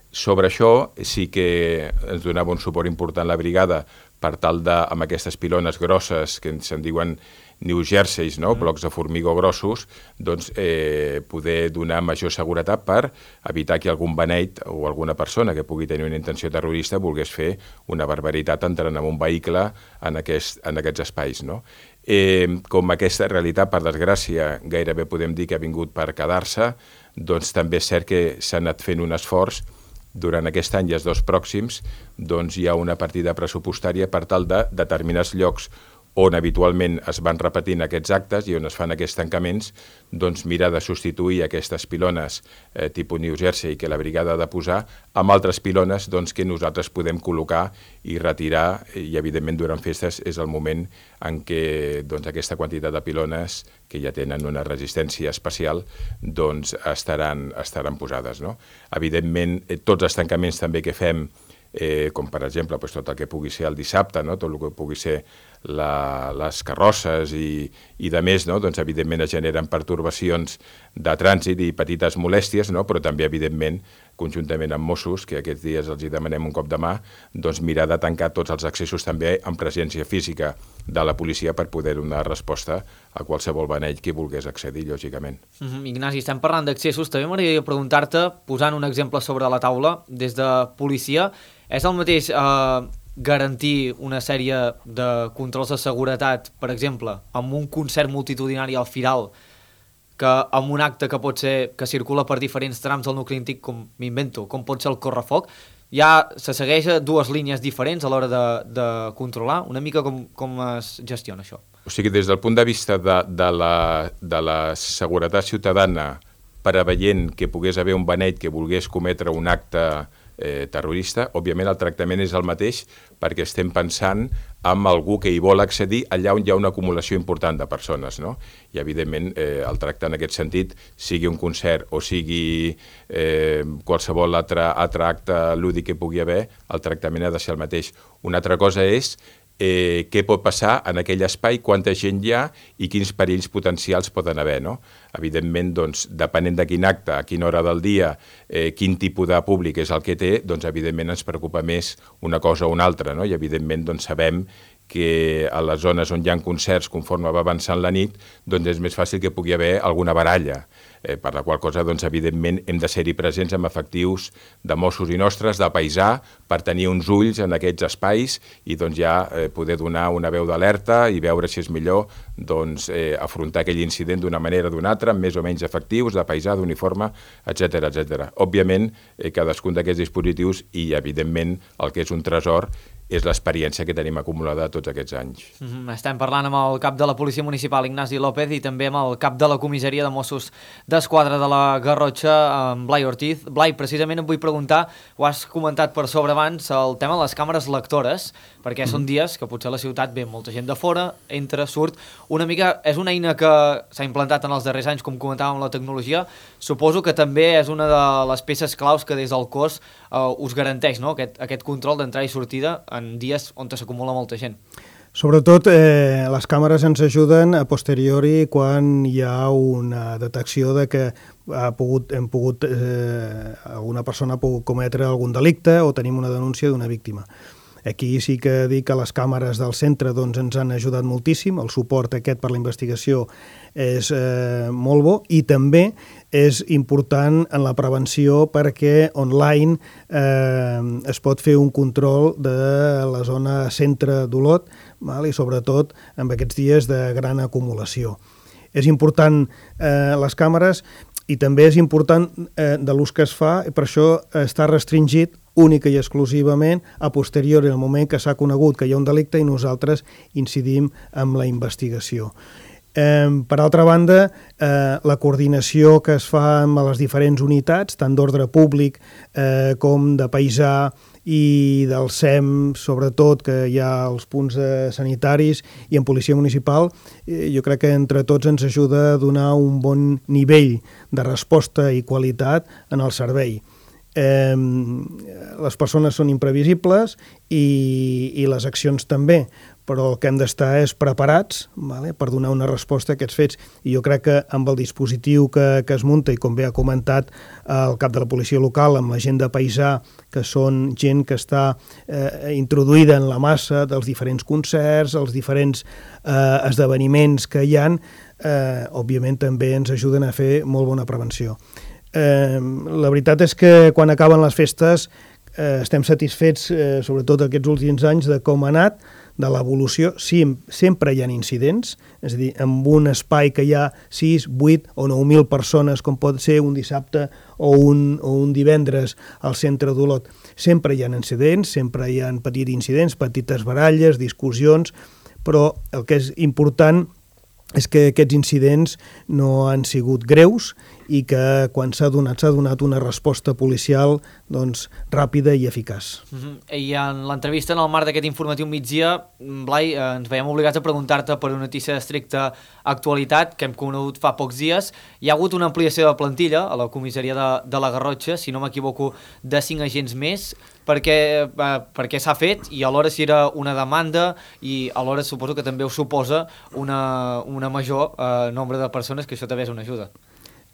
[SPEAKER 6] Sobre això sí que ens donava un suport important la brigada per tal de, amb aquestes pilones grosses que se'n diuen New Jerseys, no? Blocs de formigó grossos, doncs eh, poder donar major seguretat per evitar que algun beneit o alguna persona que pugui tenir una intenció terrorista volgués fer una barbaritat entrant en un vehicle en, aquest, en aquests espais, no? Eh, com aquesta realitat, per desgràcia, gairebé podem dir que ha vingut per quedar-se, doncs també és cert que s'ha anat fent un esforç durant aquest any i els dos pròxims doncs hi ha una partida pressupostària per tal de determinats llocs on habitualment es van repetint aquests actes i on es fan aquests tancaments, doncs mirar de substituir aquestes pilones eh, tipus New Jersey que la brigada ha de posar amb altres pilones doncs, que nosaltres podem col·locar i retirar, i evidentment durant festes és el moment en què doncs, aquesta quantitat de pilones que ja tenen una resistència especial doncs, estaran, estaran posades. No? Evidentment, eh, tots els tancaments també que fem, Eh, com per exemple pues, tot el que pugui ser el dissabte, no? Tot el que pugui ser la, les carrosses i, i de més, no? Doncs evidentment es generen pertorbacions de trànsit i petites molèsties, no? Però també evidentment conjuntament amb Mossos, que aquests dies els hi demanem un cop de mà, doncs mirar de tancar tots els accessos també amb presència física de la policia per poder donar resposta a qualsevol beneit que volgués accedir, lògicament.
[SPEAKER 1] Mm-hmm. Ignasi, estem parlant d'accessos, també m'agradaria preguntar-te, posant un exemple sobre la taula, des de policia, és el mateix eh, garantir una sèrie de controls de seguretat, per exemple, amb un concert multitudinari al Firal, que amb un acte que pot ser que circula per diferents trams del nucli antic, com m'invento, com pot ser el correfoc, ja se segueix dues línies diferents a l'hora de, de controlar. Una mica com, com es gestiona això?
[SPEAKER 6] O sigui, des del punt de vista de, de, la, de la seguretat ciutadana, preveient que pogués haver un beneit que volgués cometre un acte eh, terrorista, òbviament el tractament és el mateix perquè estem pensant en algú que hi vol accedir allà on hi ha una acumulació important de persones, no? I evidentment eh, el tracte en aquest sentit, sigui un concert o sigui eh, qualsevol altre, altre acte lúdic que pugui haver, el tractament ha de ser el mateix. Una altra cosa és Eh, què pot passar en aquell espai, quanta gent hi ha i quins perills potencials poden haver. No? Evidentment, doncs, depenent de quin acte, a quina hora del dia, eh, quin tipus de públic és el que té, doncs, evidentment ens preocupa més una cosa o una altra. No? I evidentment doncs, sabem que a les zones on hi ha concerts, conforme va avançant la nit, doncs és més fàcil que pugui haver alguna baralla, eh, per la qual cosa, doncs, evidentment, hem de ser-hi presents amb efectius de Mossos i nostres, de paisà, per tenir uns ulls en aquests espais i doncs, ja eh, poder donar una veu d'alerta i veure si és millor doncs, eh, afrontar aquell incident d'una manera o d'una altra, amb més o menys efectius, de paisà, d'uniforme, etcètera, etcètera. Òbviament, eh, cadascun d'aquests dispositius i, evidentment, el que és un tresor és l'experiència que tenim acumulada tots aquests anys.
[SPEAKER 1] Mm-hmm. Estem parlant amb el cap de la Policia Municipal, Ignasi López, i també amb el cap de la Comissaria de Mossos d'Esquadra de la Garrotxa, amb Blai Ortiz. Blai, precisament em vull preguntar, ho has comentat per sobre abans, el tema de les càmeres lectores, perquè mm. són dies que potser a la ciutat ve molta gent de fora, entra, surt, una mica, és una eina que s'ha implantat en els darrers anys, com comentàvem, la tecnologia, suposo que també és una de les peces claus que des del cos eh, us garanteix, no? aquest, aquest control d'entrada i sortida en dies on s'acumula molta gent.
[SPEAKER 7] Sobretot, eh, les càmeres ens ajuden a posteriori quan hi ha una detecció de que ha pogut, hem pogut, eh, alguna persona ha pogut cometre algun delicte o tenim una denúncia d'una víctima. Aquí sí que dic que les càmeres del centre doncs, ens han ajudat moltíssim, el suport aquest per la investigació és eh, molt bo i també és important en la prevenció perquè online eh, es pot fer un control de la zona centre d'Olot, val? I sobretot en aquests dies de gran acumulació. És important eh, les càmeres i també és important eh, de l'ús que es fa, i per això està restringit única i exclusivament a posteriori, en el moment que s'ha conegut que hi ha un delicte i nosaltres incidim en la investigació. Eh, per altra banda, eh, la coordinació que es fa amb les diferents unitats, tant d'ordre públic eh, com de paisà i del S E M, sobretot, que hi ha els punts eh, sanitaris i en policia municipal, eh, jo crec que entre tots ens ajuda a donar un bon nivell de resposta i qualitat en el servei. Eh, les persones són imprevisibles i, i les accions també, però el que hem d'estar és preparats, vale, per donar una resposta a aquests fets. I jo crec que amb el dispositiu que, que es munta, i com bé ha comentat el cap de la policia local, amb la gent de paisà, que són gent que està eh, introduïda en la massa dels diferents concerts, els diferents eh, esdeveniments que hi ha, eh, òbviament també ens ajuden a fer molt bona prevenció. Eh, la veritat és que quan acaben les festes eh, estem satisfets, eh, sobretot aquests últims anys, de com ha anat, de l'evolució. Sí, sempre hi ha incidents, és a dir, en un espai que hi ha sis, vuit o nou mil persones, com pot ser un dissabte o un, o un divendres al centre d'Olot. Sempre hi ha incidents, sempre hi ha petits incidents, petites baralles, discussions, però el que és important és que aquests incidents no han sigut greus i que quan s'ha donat, s'ha donat una resposta policial doncs, ràpida i eficaç.
[SPEAKER 1] Uh-huh. I en l'entrevista, en el marc d'aquest informatiu migdia, Blai, eh, ens veiem obligats a preguntar-te per una notícia d'estricta actualitat que hem conegut fa pocs dies. Hi ha hagut una ampliació de plantilla a la comissaria de, de la Garrotxa, si no m'equivoco, de cinc agents més. Per què, eh, per què s'ha fet i alhora si era una demanda i alhora suposo que també us suposa una, una major eh, nombre de persones, que això també és una ajuda.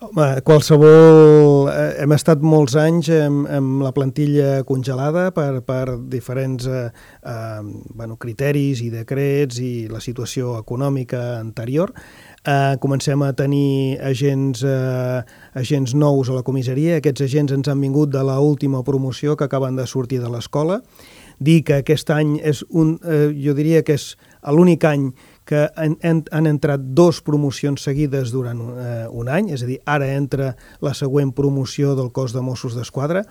[SPEAKER 7] Home, qualsevol... Eh, hem estat molts anys amb, amb la plantilla congelada per, per diferents eh, eh, bueno, criteris i decrets i la situació econòmica anterior. Eh, comencem a tenir agents, eh, agents nous a la comissaria. Aquests agents ens han vingut de l'última promoció que acaben de sortir de l'escola. Dir que aquest any és un... Eh, jo diria que és l'únic any que han, han entrat dos promocions seguides durant eh, un any, és a dir, ara entra la següent promoció del cos de Mossos d'Esquadra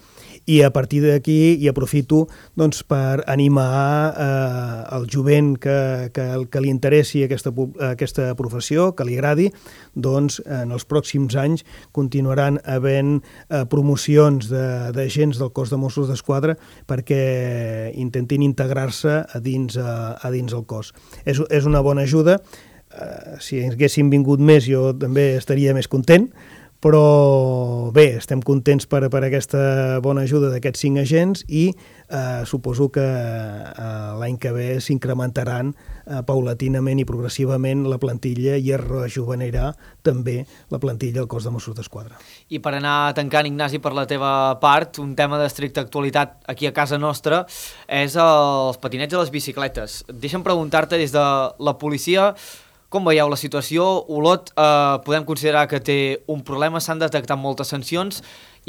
[SPEAKER 7] i a partir d'aquí hi aprofito doncs, per animar eh, el jovent que, que, que li interessi aquesta, aquesta professió, que li agradi, doncs en els pròxims anys continuaran havent eh, promocions d'agents de, del cos de Mossos d'Esquadra perquè intentin integrar-se a dins, a, a dins el cos. És, és una bona ajuda, uh, si haguessin vingut més jo també estaria més content, però bé, estem contents per, per aquesta bona ajuda d'aquests cinc agents i uh, suposo que uh, l'any que ve s'incrementaran uh, paulatinament i progressivament la plantilla i es rejuvenirà també la plantilla del cos de Mossos d'Esquadra.
[SPEAKER 1] I per anar tancant, Ignasi, per la teva part, un tema d'estricta actualitat aquí a casa nostra és els patinets i les bicicletes. Deixa'm preguntar-te des de la policia, com veieu la situació? Olot eh, podem considerar que té un problema, s'han detectat moltes sancions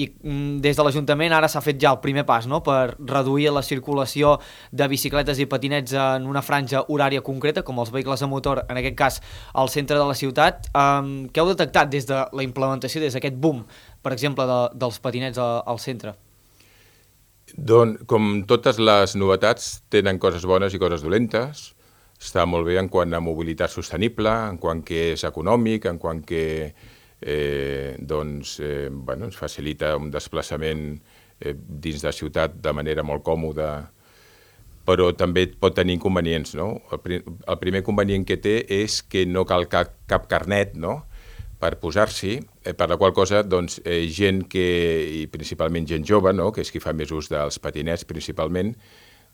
[SPEAKER 1] i mm, des de l'Ajuntament ara s'ha fet ja el primer pas, no?, per reduir la circulació de bicicletes i patinets en una franja horària concreta, com els vehicles a motor, en aquest cas al centre de la ciutat. Um, què heu detectat des de la implementació, des d'aquest boom, per exemple, de, dels patinets a, al centre?
[SPEAKER 6] Doncs, com totes les novetats, tenen coses bones i coses dolentes. Està molt bé en quant a mobilitat sostenible, en quant que és econòmic, en quant que eh, doncs, eh, bueno, ens facilita un desplaçament eh, dins de ciutat de manera molt còmoda, però també pot tenir inconvenients, no? El, pri el primer inconvenient que té és que no cal cap, cap carnet, no?, per posar-s'hi, eh, per la qual cosa doncs, eh, gent que, i principalment gent jove, no?, que és qui fa més ús dels patinets principalment,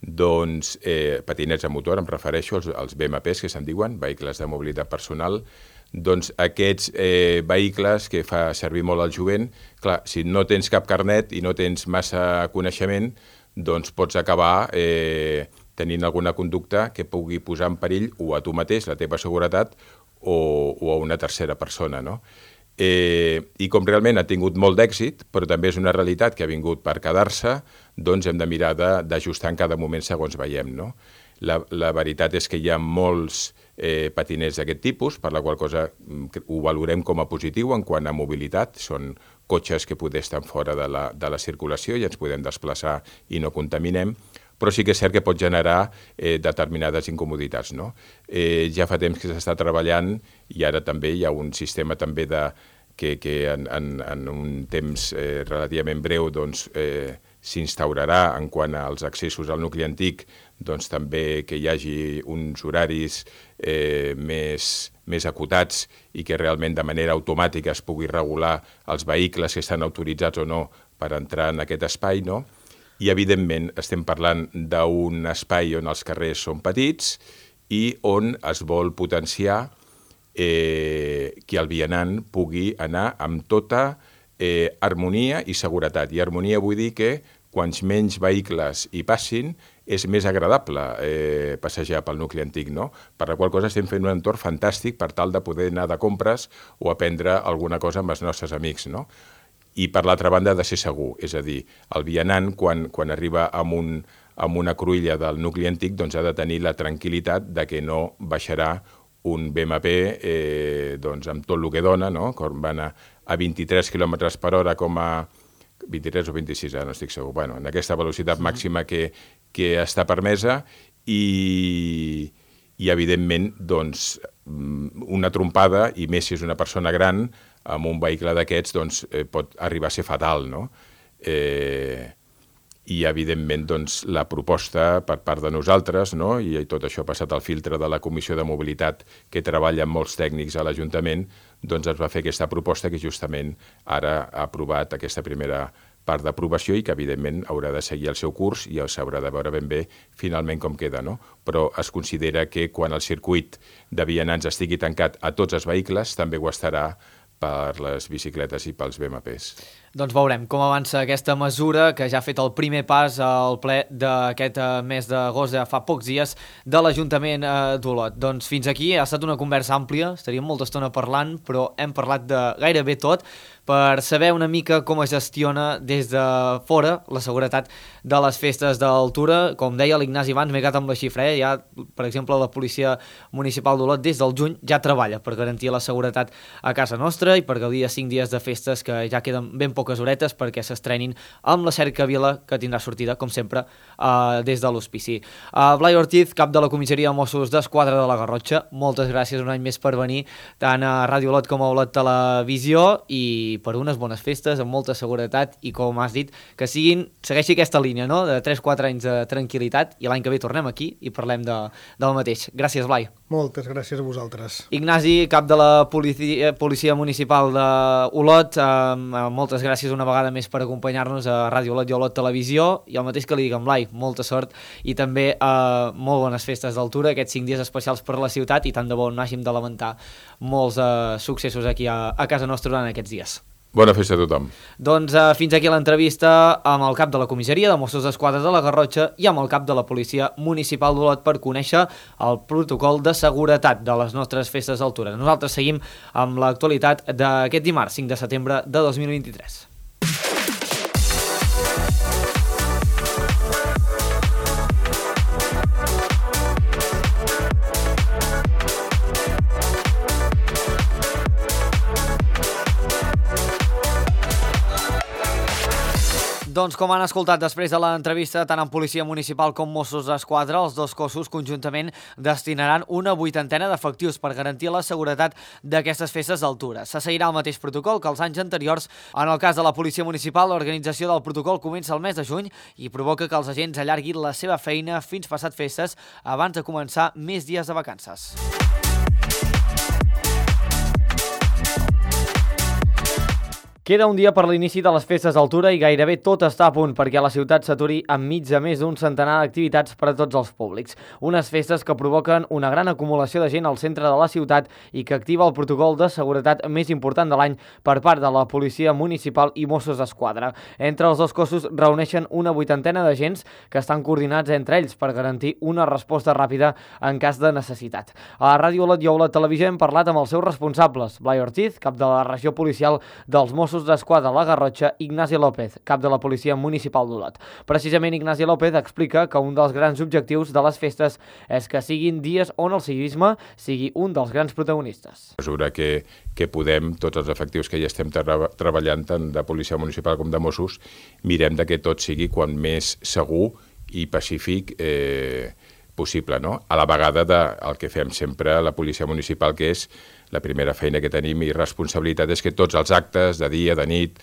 [SPEAKER 6] doncs eh, patinets a motor, em refereixo als, als B M Ps que se'n diuen, vehicles de mobilitat personal, doncs aquests eh, vehicles que fa servir molt el jovent, clar, si no tens cap carnet i no tens massa coneixement, doncs pots acabar eh, tenint alguna conducta que pugui posar en perill o a tu mateix, la teva seguretat, o, o a una tercera persona, no? Eh, I com realment ha tingut molt d'èxit, però també és una realitat que ha vingut per quedar-se, doncs hem de mirar d'ajustar en cada moment segons veiem, no? La, la veritat és que hi ha molts eh, patinets d'aquest tipus, per la qual cosa ho valorem com a positiu en quant a mobilitat. Són cotxes que poder estar fora de la, de la circulació i ens podem desplaçar i no contaminem, però sí que és cert que pot generar eh, determinades incomoditats, no? Eh, ja fa temps que s'està treballant i ara també hi ha un sistema també de, que, que en, en, en un temps eh, relativament breu doncs, eh, s'instaurarà en quant als accessos al nucli antic, doncs també que hi hagi uns horaris eh, més, més acotats i que realment de manera automàtica es pugui regular els vehicles que estan autoritzats o no per entrar en aquest espai, no? I, evidentment, estem parlant d'un espai on els carrers són petits i on es vol potenciar eh, que el vianant pugui anar amb tota eh, harmonia i seguretat. I harmonia vull dir que quants menys vehicles hi passin és més agradable eh, passejar pel nucli antic, no? Per la qual cosa estem fent un entorn fantàstic per tal de poder anar de compres o aprendre alguna cosa amb els nostres amics, no? I per l'altra banda ha de ser segur, és a dir, el vianant quan, quan arriba amb, un, amb una cruïlla del nucli antic doncs ha de tenir la tranquil·litat de que no baixarà un B M P eh, doncs amb tot el que dona, no? Quan van a, a vint-i-tres quilòmetres per hora com a, vint-i-tres o vint-i-sis, ara no estic segur, bueno, en aquesta velocitat màxima que, que està permesa i, i evidentment, doncs, una trompada, i més si és una persona gran, amb un vehicle d'aquests, doncs, eh, pot arribar a ser fatal, no? Eh, I, evidentment, doncs, la proposta per part de nosaltres, no? I tot això ha passat al filtre de la Comissió de Mobilitat, que treballa amb molts tècnics a l'Ajuntament, doncs ens va fer aquesta proposta que justament ara ha aprovat aquesta primera part d'aprovació i que, evidentment, haurà de seguir el seu curs i s'haurà de veure ben bé finalment com queda, no? Però es considera que quan el circuit de vianants estigui tancat a tots els vehicles, també ho estarà per les bicicletes i pels B M Ps.
[SPEAKER 1] Doncs veurem com avança aquesta mesura que ja ha fet el primer pas al ple d'aquest mes d'agost, ja fa pocs dies, de l'Ajuntament d'Olot. Doncs fins aquí ha estat una conversa àmplia, estaríem molta estona parlant, però hem parlat de gairebé tot per saber una mica com es gestiona des de fora la seguretat de les festes d'Altura. Com deia l'Ignasi abans, m'he quedat amb la xifra, eh? Ja, per exemple, la Policia Municipal d'Olot des del juny ja treballa per garantir la seguretat a casa nostra i per gaudir de cinc dies de festes que ja queden ben poques horetes perquè s'estrenin amb la Cercavila, que tindrà sortida, com sempre, uh, des de l'hospici. Uh, Blai Ortiz, cap de la Comissaria de Mossos d'Esquadra de la Garrotxa, moltes gràcies un any més per venir tant a Ràdio Olot com a Olot Televisió i per unes bones festes, amb molta seguretat i, com has dit, que siguin, segueixi aquesta línia, no?, de tres quatre anys de tranquil·litat i l'any que ve tornem aquí i parlem de, del mateix. Gràcies, Blai.
[SPEAKER 7] Moltes gràcies a vosaltres.
[SPEAKER 1] Ignasi, cap de la Policia, Policia Municipal d'Olot, eh, moltes gràcies una vegada més per acompanyar-nos a Ràdio Olot i Olot Televisió, i el mateix que li dic en Blai, molta sort i també eh, molt bones festes d'Altura, aquests cinc dies especials per la ciutat, i tant de bo no hàgim de lamentar molts eh, successos aquí a, a casa nostra durant aquests dies.
[SPEAKER 6] Bona festa a tothom.
[SPEAKER 1] Doncs uh, fins aquí l'entrevista amb el cap de la Comissaria de Mossos d'Esquadra de la Garrotxa i amb el cap de la Policia Municipal d'Olot per conèixer el protocol de seguretat de les nostres festes d'Altura. Nosaltres seguim amb l'actualitat d'aquest dimarts, cinc de setembre de dos mil vint-i-tres. Doncs com han escoltat després de l'entrevista, tant en Policia Municipal com Mossos d'Esquadra, els dos cossos conjuntament destinaran una vuitantena d'efectius per garantir la seguretat d'aquestes festes d'Altura. Se seguirà el mateix protocol que els anys anteriors. En el cas de la Policia Municipal, l'organització del protocol comença el mes de juny i provoca que els agents allarguin la seva feina fins passat festes abans de començar més dies de vacances. Queda un dia per l'inici de les festes d'Altura i gairebé tot està a punt perquè la ciutat s'aturi enmig de més d'un centenar d'activitats per a tots els públics. Unes festes que provoquen una gran acumulació de gent al centre de la ciutat i que activa el protocol de seguretat més important de l'any per part de la Policia Municipal i Mossos d'Esquadra. Entre els dos cossos reuneixen una vuitantena d'agents que estan coordinats entre ells per garantir una resposta ràpida en cas de necessitat. A la Ràdio Olot i Olot Televisió hem parlat amb els seus responsables, Blai Ortiz, cap de la regió policial dels Mossos d'Esquadra a la Garrotxa, Ignasi López, cap de la Policia Municipal d'Olot. Precisament Ignasi López explica que un dels grans objectius de les festes és que siguin dies on el civisme sigui un dels grans protagonistes.
[SPEAKER 6] A mesura que, que podem, tots els efectius que ja estem tra treballant, tant de Policia Municipal com de Mossos, mirem de que tot sigui quan més segur i pacífic eh, possible, no? A la vegada del que fem sempre a la Policia Municipal, que és la primera feina que tenim i responsabilitat és que tots els actes de dia, de nit,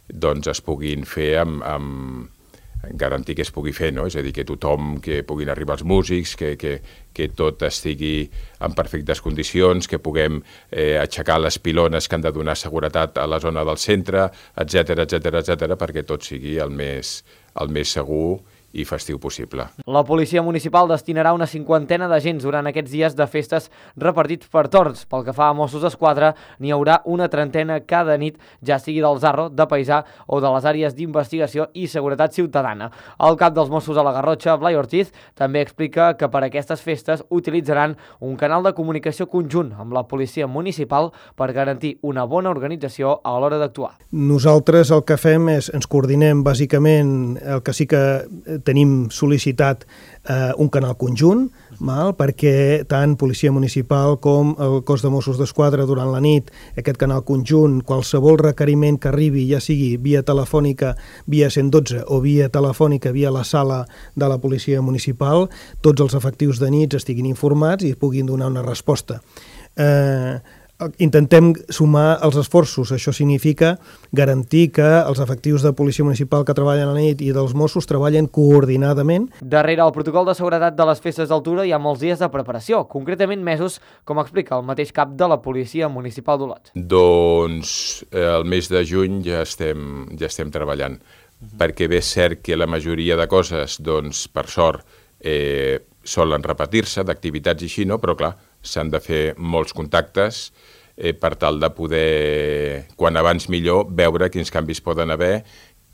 [SPEAKER 6] doncs es puguin fer amb, amb garantir que es pugui fer, no? És a dir, que tothom, que puguin arribar els músics, que, que, que tot estigui en perfectes condicions, que puguem eh, aixecar les pilones que han de donar seguretat a la zona del centre, etcètera, etcètera, etcètera, perquè tot sigui el més, el més segur i festiu possible.
[SPEAKER 1] La Policia Municipal destinarà una cinquantena d'agents durant aquests dies de festes repartits per torns. Pel que fa a Mossos d'Esquadra, n'hi haurà una trentena cada nit, ja sigui del Zarro, de Paisà o de les àrees d'investigació i seguretat ciutadana. El cap dels Mossos a la Garrotxa, Blai Ortiz, també explica que per aquestes festes utilitzaran un canal de comunicació conjunt amb la Policia Municipal per garantir una bona organització a l'hora d'actuar.
[SPEAKER 7] Nosaltres el que fem és, ens coordinem bàsicament, el que sí que tenim sol·licitat eh, un canal conjunt, mal, perquè tant Policia Municipal com el cos de Mossos d'Esquadra durant la nit, aquest canal conjunt, qualsevol requeriment que arribi, ja sigui via telefònica, via cent dotze o via telefònica, via la sala de la Policia Municipal, tots els efectius de nits estiguin informats i puguin donar una resposta. Eh, intentem sumar els esforços. Això significa garantir que els efectius de Policia Municipal que treballen a la nit i dels Mossos treballen coordinadament.
[SPEAKER 1] Darrere el protocol de seguretat de les festes d'altura hi ha molts dies de preparació, concretament mesos, com explica el mateix cap de la Policia Municipal d'Olot.
[SPEAKER 6] Doncs eh, el mes de juny ja estem, ja estem treballant, uh-huh. perquè bé és cert que la majoria de coses, doncs, per sort, eh, solen repetir-se d'activitats i així, no? Però clar, s'han de fer molts contactes eh, per tal de poder, quan abans millor, veure quins canvis poden haver,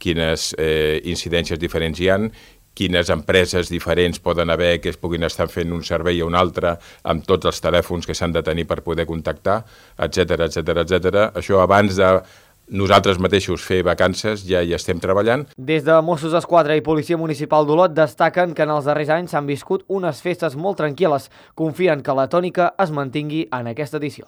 [SPEAKER 6] quines eh, incidències diferents hi han, quines empreses diferents poden haver que es puguin estar fent un servei a un altre amb tots els telèfons que s'han de tenir per poder contactar, etcètera, etcètera, etcètera. Això abans de nosaltres mateixos fer vacances ja hi estem treballant.
[SPEAKER 1] Des de Mossos d'Esquadra i Policia Municipal d'Olot destaquen que en els darrers anys s'han viscut unes festes molt tranquil·les. Confien que la tònica es mantingui en aquesta edició.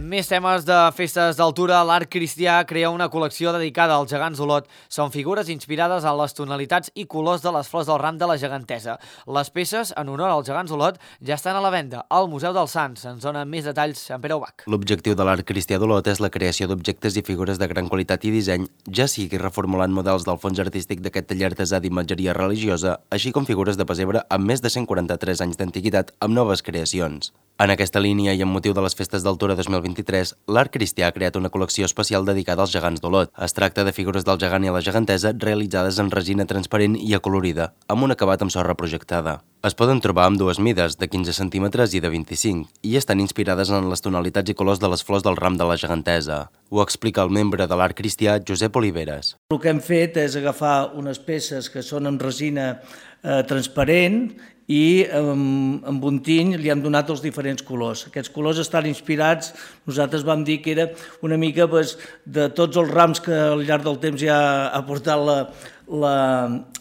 [SPEAKER 1] Més temes de festes d'altura. L'Art Cristià crea una col·lecció dedicada als gegants d'Olot. Són figures inspirades en les tonalitats i colors de les flors del ram de la gegantesa. Les peces, en honor als gegants d'Olot, ja estan a la venda al Museu dels Sants. Ens dona més detalls en Pere Ubach.
[SPEAKER 8] L'objectiu de l'Art Cristià d'Olot és la creació d'objectes i figures de gran qualitat i disseny, ja sigui reformulant models del fons artístic d'aquest taller artesà d'imatgeria religiosa, així com figures de pessebre amb més de cent quaranta-tres anys d'antiguitat amb noves creacions. En aquesta línia i amb motiu de les festes d'altura dos mil vint-i-tres, l'Art Cristià ha creat una col·lecció especial dedicada als gegants d'Olot. Es tracta de figures del gegant i la gegantesa realitzades en resina transparent i acolorida, amb un acabat amb sorra projectada. Es poden trobar amb dues mides, de quinze centímetres i de vint-i-cinc, i estan inspirades en les tonalitats i colors de les flors del ram de la gegantesa. Ho explica el membre de l'Art Cristià, Josep Oliveres.
[SPEAKER 9] El que hem fet és agafar unes peces que són en resina eh, transparent i amb, amb un tiny li hem donat els diferents colors. Aquests colors estan inspirats, nosaltres vam dir que era una mica pues, de tots els rams que al llarg del temps ja ha portat la, la,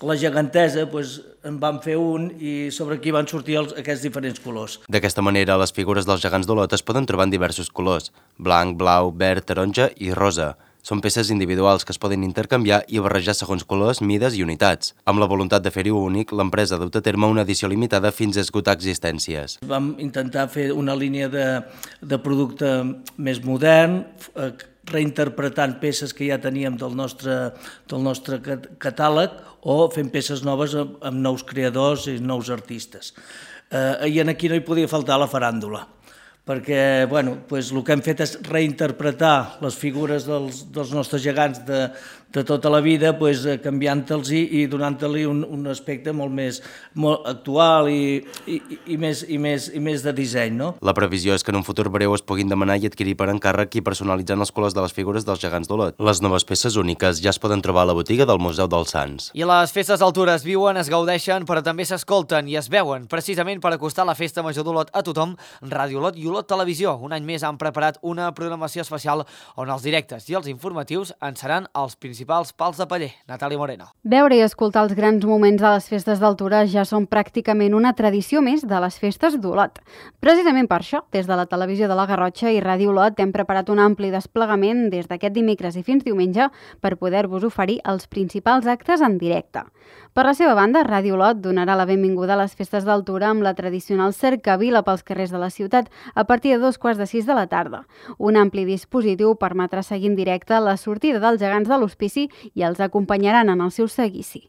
[SPEAKER 9] la gegantesa, pues, en vam fer un i sobre aquí van sortir els, aquests diferents colors.
[SPEAKER 8] D'aquesta manera, les figures dels gegants d'Olot es poden trobar en diversos colors: blanc, blau, verd, taronja i rosa. Són peces individuals que es poden intercanviar i barrejar segons colors, mides i unitats. Amb la voluntat de fer-hi únic, l'empresa ha dut a terme una edició limitada fins a esgotar existències.
[SPEAKER 9] Vam intentar fer una línia de, de producte més modern, eh, reinterpretant peces que ja teníem del nostre, del nostre catàleg o fent peces noves amb, amb nous creadors i nous artistes. Eh, I aquí no hi podia faltar la faràndula, perquè bueno, doncs el que hem fet és reinterpretar les figures dels, dels nostres gegants de, de tota la vida, doncs, canviant-los i, i donant-li un, un aspecte molt més molt actual i, i, i, més, i, més, i més de disseny. No?
[SPEAKER 8] La previsió és que en un futur breu es puguin demanar i adquirir per encàrrec i personalitzant els colors de les figures dels gegants d'Olot. Les noves peces úniques ja es poden trobar a la botiga del Museu dels Sants.
[SPEAKER 1] I les festes d'altura es viuen, es gaudeixen, però també s'escolten i es veuen. Precisament per acostar la Festa Major d'Olot a tothom, Ràdio Olot i Olot Televisió un any més han preparat una programació especial on els directes i els informatius en seran els principals pals de paller. Natàlia Moreno.
[SPEAKER 10] Veure i escoltar els grans moments de les festes d'altura ja són pràcticament una tradició més de les festes d'Olot. Precisament per això, des de la Televisió de la Garrotxa i Ràdio Olot hem preparat un ampli desplegament des d'aquest dimecres i fins diumenge per poder-vos oferir els principals actes en directe. Per la seva banda, Ràdio Olot donarà la benvinguda a les festes d'altura amb la tradicional cercavila pels carrers de la ciutat a partir de dos quarts de sis de la tarda. Un ampli dispositiu permetrà seguir en directe la sortida dels gegants de l'hospici i els acompanyaran en el seu seguici.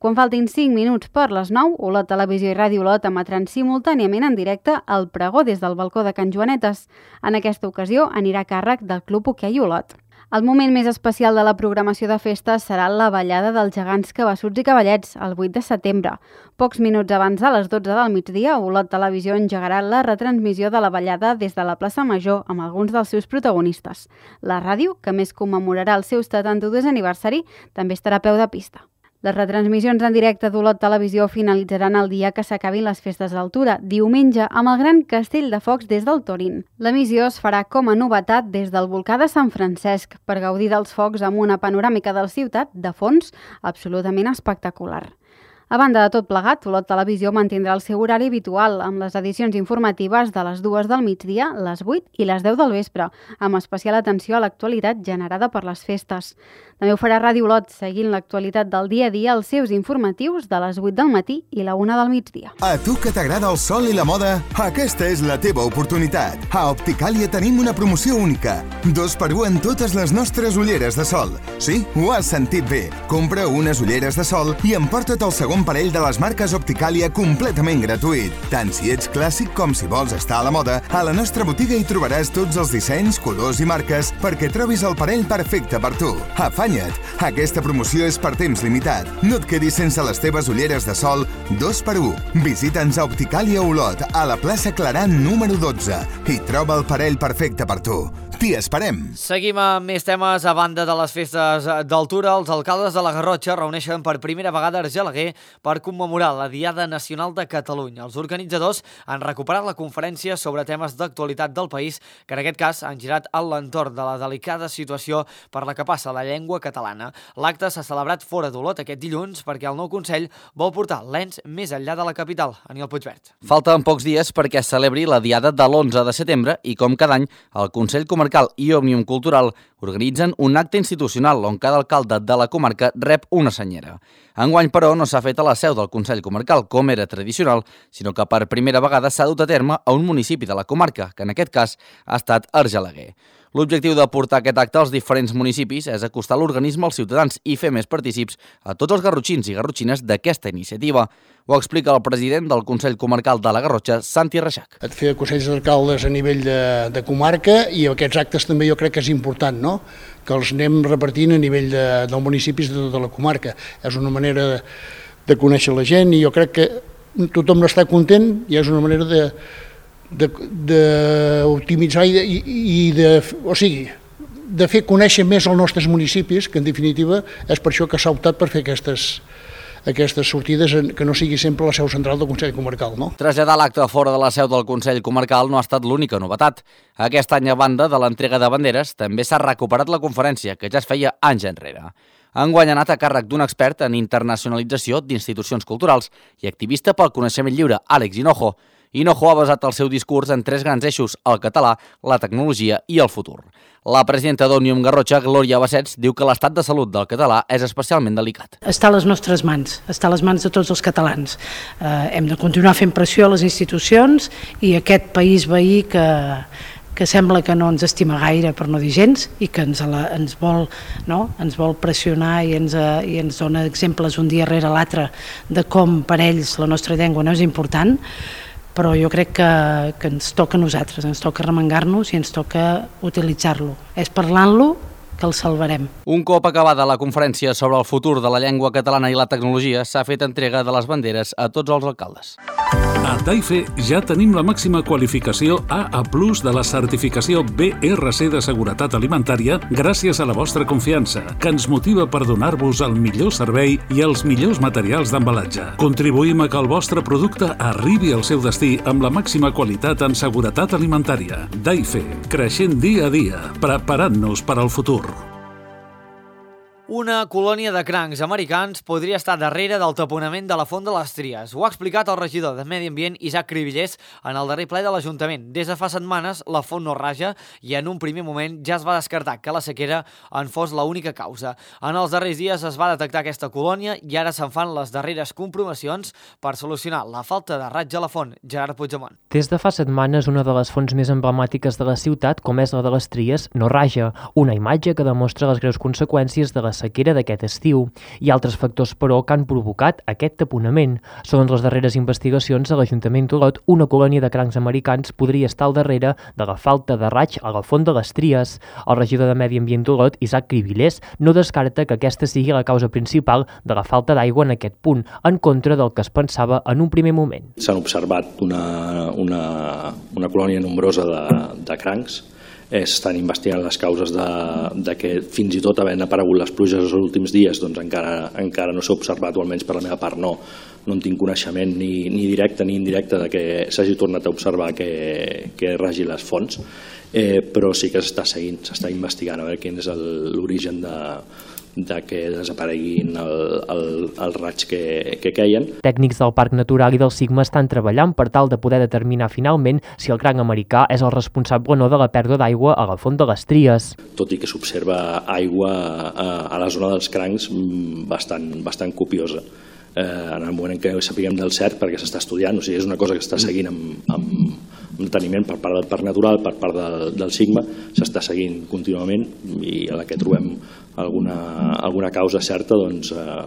[SPEAKER 10] Quan faltin cinc minuts per les nou, Olot Televisió i Ràdio Olot emetran simultàniament en directe el pregó des del balcó de Can Joanetes. En aquesta ocasió anirà a càrrec del Club Hoquei Olot. El moment més especial de la programació de festes serà la ballada dels gegants Cabassuts i Cavallets, el vuit de setembre. Pocs minuts abans de les dotze del migdia, Olot Televisió engegarà la retransmissió de la ballada des de la plaça Major amb alguns dels seus protagonistes. La ràdio, que més commemorarà el seu setanta-dos aniversari, també estarà a peu de pista. Les retransmissions en directe d'Olot Televisió finalitzaran el dia que s'acabin les festes d'altura, diumenge, amb el gran castell de focs des del Torín. L'emissió es farà com a novetat des del volcà de Sant Francesc per gaudir dels focs amb una panoràmica de la ciutat de fons absolutament espectacular. A banda de tot plegat, Olot Televisió mantindrà el seu horari habitual amb les edicions informatives de les dues del migdia, les vuit i les deu del vespre, amb especial atenció a l'actualitat generada per les festes. També ho farà Ràdio Olot, seguint l'actualitat del dia a dia als seus informatius de les vuit del matí i la una del migdia.
[SPEAKER 11] A tu que t'agrada el sol i la moda, aquesta és la teva oportunitat. A Opticàlia tenim una promoció única. Dos per un en totes les nostres ulleres de sol. Sí, ho has sentit bé. Compra unes ulleres de sol i emporta't el segon parell de les marques Opticàlia completament gratuït. Tant si ets clàssic com si vols estar a la moda, a la nostra botiga hi trobaràs tots els dissenys, colors i marques perquè trobis el parell perfecte per tu. Afanya't! Aquesta promoció és per temps limitat. No et quedis sense les teves ulleres de sol dos per un. Visita'ns a Opticàlia Olot, a la plaça Claran número dotze i troba el parell perfecte per tu. T'hi esperem!
[SPEAKER 1] Seguim amb més temes. A banda de les festes d'altura, els alcaldes de la Garrotxa reuneixen per primera vegada a Argelaguer per commemorar la Diada Nacional de Catalunya. Els organitzadors han recuperat la conferència sobre temes d'actualitat del país, que en aquest cas han girat a l'entorn de la delicada situació per la que passa la llengua catalana. L'acte s'ha celebrat fora d'Olot aquest dilluns perquè el nou Consell vol portar l'ens més enllà de la capital. Aniol Puigvert.
[SPEAKER 12] Falten pocs dies perquè es celebri la Diada de l'onze de setembre i, com cada any, el Consell Comarcal i Òmnium Cultural organitzen un acte institucional on cada alcalde de la comarca rep una senyera. Enguany, però, no s'ha fet a la seu del Consell Comarcal, com era tradicional, sinó que per primera vegada s'ha dut a terme a un municipi de la comarca, que en aquest cas ha estat Argelaguer. L'objectiu de portar aquest acte als diferents municipis és acostar l'organisme als ciutadans i fer més partícips a tots els garrotxins i garrotxines d'aquesta iniciativa. Ho explica el president del Consell Comarcal de la Garrotxa, Santi Reixac.
[SPEAKER 13] Et fer consells d'alcaldes a nivell de, de comarca i aquests actes també jo crec que és important, no? Que els anem repartint a nivell de, dels municipis de tota la comarca. És una manera de, de conèixer la gent i jo crec que tothom n'està content i és una manera de d'optimitzar i, de, i de, o sigui, de fer conèixer més els nostres municipis, que en definitiva és per això que s'ha optat per fer aquestes, aquestes sortides que no sigui sempre la seu central del Consell Comarcal. No?
[SPEAKER 12] Traslladar l'acte fora de la seu del Consell Comarcal no ha estat l'única novetat. Aquest any, a banda de l'entrega de banderes, també s'ha recuperat la conferència, que ja es feia anys enrere. Enguany ha anat a càrrec d'un expert en internacionalització d'institucions culturals i activista pel coneixement lliure, Àlex Hinojo. Hinojo ha basat el seu discurs en tres grans eixos, el català, la tecnologia i el futur. La presidenta d'Òmnium Garrotxa, Glòria Bassets, diu que l'estat de salut del català és especialment delicat.
[SPEAKER 14] Està a les nostres mans, està a les mans de tots els catalans. Eh, hem de continuar fent pressió a les institucions i aquest país veí que... que sembla que no ens estima gaire, per no dir gens, i que ens, la, ens, vol, no? ens vol pressionar i ens, i ens dona exemples un dia rere l'altre de com per ells la nostra llengua no és important, però jo crec que, que ens toca a nosaltres, ens toca remengar-nos i ens toca utilitzar-lo. És parlant-lo que el salvarem.
[SPEAKER 12] Un cop acabada la conferència sobre el futur de la llengua catalana i la tecnologia, s'ha fet entrega de les banderes a tots els alcaldes.
[SPEAKER 3] A Taife ja tenim la màxima qualificació A A plus de la certificació B R C de seguretat alimentària gràcies a la vostra confiança, que ens motiva per donar-vos el millor servei i els millors materials d'embalatge. Contribuïm a que el vostre producte arribi al seu destí amb la màxima qualitat en seguretat alimentària. Taife, creixent dia a dia, preparant-nos per al futur.
[SPEAKER 1] Una colònia de crancs americans podria estar darrere del taponament de la Font de les Tries. Ho ha explicat el regidor de Medi Ambient, Isaac Cribillers, en el darrer ple de l'Ajuntament. Des de fa setmanes, la font no raja i en un primer moment ja es va descartar que la sequera en fos l'única causa. En els darrers dies es va detectar aquesta colònia i ara se'n fan les darreres comprovacions per solucionar la falta de raig a la font. Gerard Puigdemont.
[SPEAKER 15] Des de fa setmanes, una de les fonts més emblemàtiques de la ciutat, com és la de les Tries, no raja. Una imatge que demostra les greus conseqüències de la sequera d'aquest estiu i altres factors, però, que han provocat aquest taponament. Segons les darreres investigacions de l'Ajuntament d'Olot, una colònia de crancs americans podria estar al darrere de la falta de raig a la Font de les Tries. El regidor de Medi Ambient d'Olot, Isaac Cribillers, no descarta que aquesta sigui la causa principal de la falta d'aigua en aquest punt, en contra del que es pensava en un primer moment.
[SPEAKER 16] S'han observat una, una, una colònia nombrosa de, de crancs estan investigant les causes de, de que fins i tot havent aparegut les pluges els últims dies doncs encara, encara no s'ha observat, o almenys per la meva part no, no en tinc coneixement ni, ni directe ni indirecte de que s'hagi tornat a observar que, que ragi les fonts, eh, però sí que s'està seguint, s'està investigant a veure quin és l'origen de de que desapareguin el, el, els raigs que, que queien.
[SPEAKER 15] Tècnics del Parc Natural i del Sigma estan treballant per tal de poder determinar finalment si el cranc americà és el responsable o no de la pèrdua d'aigua a la font de les Tries.
[SPEAKER 16] Tot i que s'observa aigua a, a la zona dels crancs bastant, bastant copiosa. Eh, en el moment en què sapiguem del cert, perquè s'està estudiant, o sigui, és una cosa que s'està seguint amb, amb, amb deteniment per part del Parc Natural, per part del, del Sigma, s'està seguint contínuament, i a la que trobem alguna, alguna causa certa, doncs eh,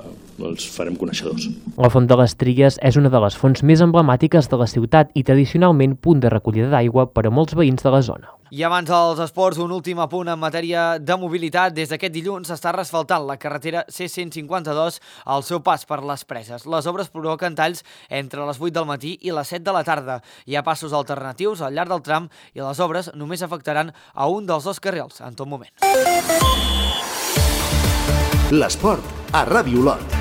[SPEAKER 16] els farem coneixedors.
[SPEAKER 15] La font de les Tries és una de les fonts més emblemàtiques de la ciutat i tradicionalment punt de recollida d'aigua per a molts veïns de la zona.
[SPEAKER 1] I abans dels esports, un últim apunt en matèria de mobilitat. Des d'aquest dilluns s'està resfaltant la carretera C cent cinquanta-dos al seu pas per les Preses. Les obres provoquen talls entre les vuit del matí i les set de la tarda. Hi ha passos alternatius al llarg del tram i les obres només afectaran a un dels dos carrils en tot moment.
[SPEAKER 2] L'esport a Ràdio Olot.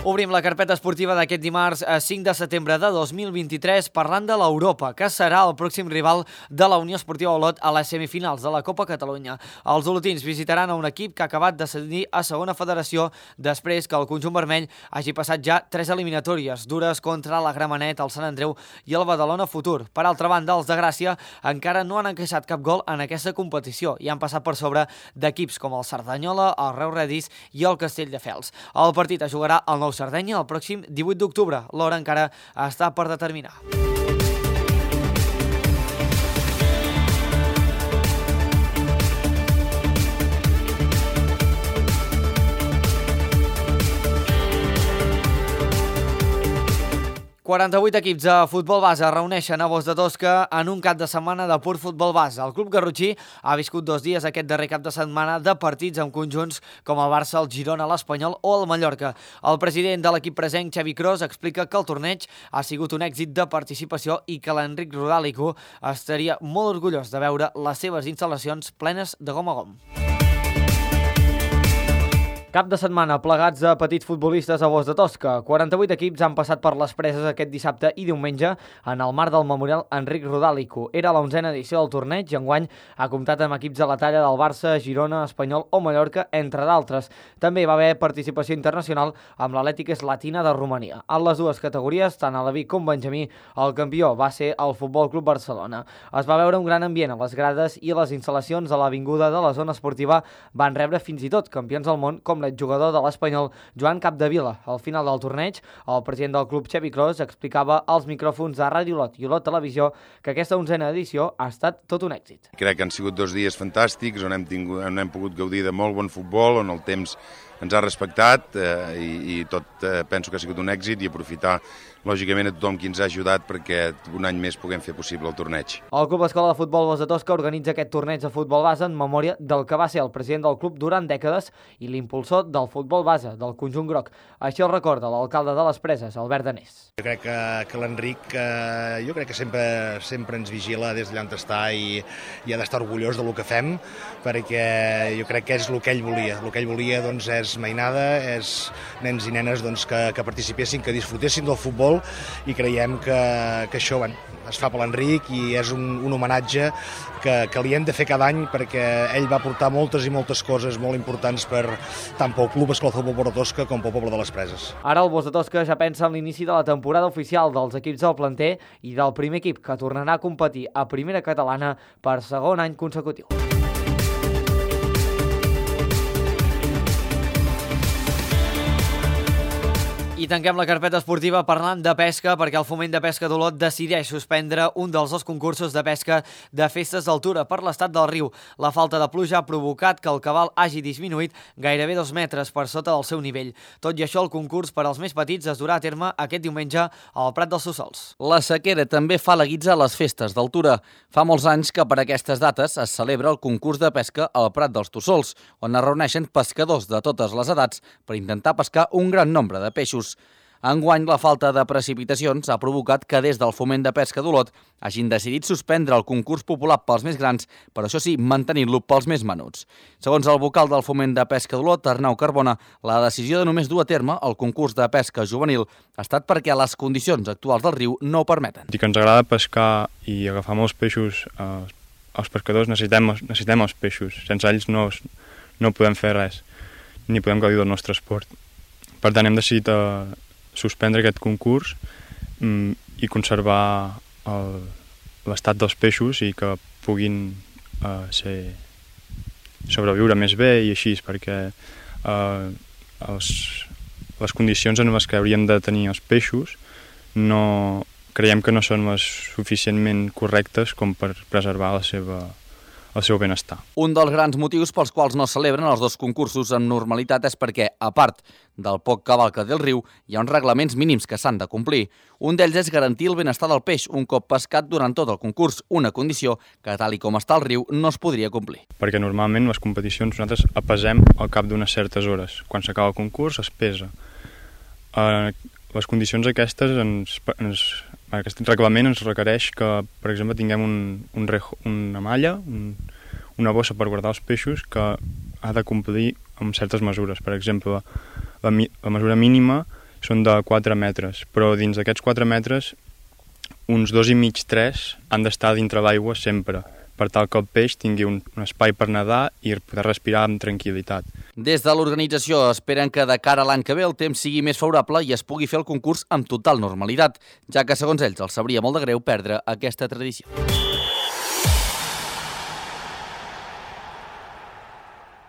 [SPEAKER 1] Obrim la carpeta esportiva d'aquest dimarts cinc de setembre de dos mil vint-i-tres parlant de l'Europa, que serà el pròxim rival de la Unió Esportiva Olot a les semifinals de la Copa Catalunya. Els olotins visitaran a un equip que ha acabat d'ascendir a segona federació després que el conjunt vermell hagi passat ja tres eliminatòries dures contra la Gramenet, el Sant Andreu i el Badalona Futur. Per altra banda, els de Gràcia encara no han encaixat cap gol en aquesta competició i han passat per sobre d'equips com el Cerdanyola, el Reus Redis i el Castelldefels. El partit es jugarà al Nou Sardenya el pròxim divuit d'octubre. L'hora encara està per determinar. quaranta-vuit equips de futbol base es reuneixen a Bos de Tosca en un cap de setmana de pur futbol base. El club garrotxí ha viscut dos dies aquest darrer cap de setmana de partits amb conjunts com el Barça, el Girona, l'Espanyol o el Mallorca. El president de l'equip present, Xavi Cros, explica que el torneig ha sigut un èxit de participació i que l'Enric Rodàlico estaria molt orgullós de veure les seves instal·lacions plenes de gom a gom. Cap de setmana plegats de petits futbolistes a Bos de Tosca. quaranta-vuit equips han passat per les Preses aquest dissabte i diumenge en el marc del Memorial Enric Rodàlico. Era l'onzena edició del torneig i enguany ha comptat amb equips de la talla del Barça, Girona, Espanyol o Mallorca, entre d'altres. També va haver participació internacional amb l'Atlètic Slatina de Romania. En les dues categories, tant a la Vic com Benjamí, el campió va ser el Futbol Club Barcelona. Es va veure un gran ambient a les grades i les instal·lacions a l'avinguda de la zona esportiva van rebre fins i tot campions del món com l'exjugador de l'Espanyol Joan Capdevila. Al final del torneig, el president del club Xavi Cros explicava als micròfons de Ràdio Olot i Olot Televisió que aquesta onzena edició ha estat tot un èxit.
[SPEAKER 17] Crec que han sigut dos dies fantàstics on hem, tingut, on hem pogut gaudir de molt bon futbol, on el temps ens ha respectat eh, i, i tot eh, penso que ha sigut un èxit i aprofitar lògicament a tothom qui ens ha ajudat perquè un any més puguem fer possible el torneig.
[SPEAKER 1] El Club Escola de Futbol Bos de Tosca organitza aquest torneig de futbol base en memòria del que va ser el president del club durant dècades i l'impulsor del futbol base del conjunt groc. Així el recorda l'alcalde de les Preses, Albert Danés.
[SPEAKER 18] Jo crec que, que l'Enric eh, jo crec que sempre, sempre ens vigila des d'allà on està i, i ha d'estar orgullós del que fem perquè jo crec que és el que ell volia. El que ell volia doncs, és mainada, és nens i nenes doncs, que, que participessin, que disfrutessin del futbol i creiem que, que això bueno, es fa per l'Enric i és un, un homenatge que, que li hem de fer cada any perquè ell va portar moltes i moltes coses molt importants per tant pel Club Escola de Futbol Bos de Tosca com pel poble de les Preses.
[SPEAKER 1] Ara el Bos de Tosca ja pensa en l'inici de la temporada oficial dels equips del planter i del primer equip que tornarà a competir a primera catalana per segon any consecutiu. I tanquem la carpeta esportiva parlant de pesca perquè el Foment de Pesca d'Olot decideix suspendre un dels dos concursos de pesca de festes d'altura per l'estat del riu. La falta de pluja ha provocat que el cabal hagi disminuït gairebé dos metres per sota del seu nivell. Tot i això, el concurs per als més petits es durà a terme aquest diumenge al Prat dels Sussols.
[SPEAKER 12] La sequera també fa la guitza a les festes d'altura. Fa molts anys que per aquestes dates es celebra el concurs de pesca al Prat dels Sussols, on es reuneixen pescadors de totes les edats per intentar pescar un gran nombre de peixos. Enguany, la falta de precipitacions ha provocat que des del Foment de Pesca d'Olot hagin decidit suspendre el concurs popular pels més grans, però això sí, mantenint-lo pels més menuts. Segons el vocal del Foment de Pesca d'Olot, Arnau Carbona, la decisió de només dur a terme el concurs de pesca juvenil ha estat perquè les condicions actuals del riu no ho permeten.
[SPEAKER 19] I que ens agrada pescar i agafar molts peixos, eh, els pescadors necessitem, necessitem els peixos. Sense ells no, no podem fer res, ni podem gaudir del nostre esport. Per tant, hem decidit eh, suspendre aquest concurs mm, i conservar l'estat dels peixos i que puguin eh, ser, sobreviure més bé i així, perquè eh, els, les condicions en les que hauríem de tenir els peixos no, creiem que no són les suficientment correctes com per preservar la seva, el seu benestar.
[SPEAKER 12] Un dels grans motius pels quals no es celebren els dos concursos amb normalitat és perquè, a part del poc cabal que té el riu, hi ha uns reglaments mínims que s'han de complir. Un d'ells és garantir el benestar del peix un cop pescat durant tot el concurs, una condició que, tal i com està el riu, no es podria complir.
[SPEAKER 19] Perquè normalment les competicions nosaltres apesem al cap d'unes certes hores. Quan s'acaba el concurs es pesa. Uh, les condicions aquestes, ens, ens, aquest reglament ens requereix que, per exemple, tinguem un, un rejo, una malla, un, una bossa per guardar els peixos que ha de complir amb certes mesures. Per exemple, la, la mesura mínima són de quatre metres, però dins d'aquests quatre metres, uns dos i mig, tres, han d'estar dintre l'aigua sempre, per tal que el peix tingui un, un espai per nedar i poder respirar amb tranquil·litat.
[SPEAKER 12] Des de l'organització esperen que de cara a l'any que ve el temps sigui més favorable i es pugui fer el concurs amb total normalitat, ja que segons ells els sabria molt de greu perdre aquesta tradició.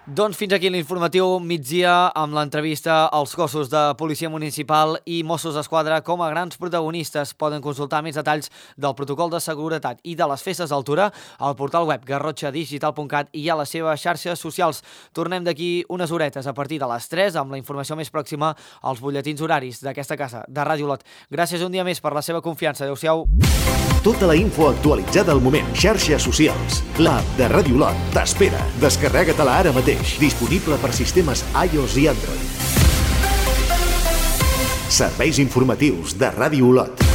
[SPEAKER 1] Doncs fins aquí l'informatiu migdia amb l'entrevista als cossos de Policia Municipal i Mossos d'Esquadra com a grans protagonistes. Poden consultar més detalls del protocol de seguretat i de les festes d'altura al portal web garrotxa digital punt cat i a les seves xarxes socials. Tornem d'aquí unes horetes a partir de les tres amb la informació més pròxima als butlletins horaris d'aquesta casa de Ràdio Olot. Gràcies un dia més per la seva confiança. Adéu-siau.
[SPEAKER 2] Tota la info actualitzada al moment. Xarxes socials. L'app de Ràdio Olot t'espera. Descarrega-te-la ara mateix. Disponible per sistemes iOS i Android. Serveis informatius de Ràdio Olot.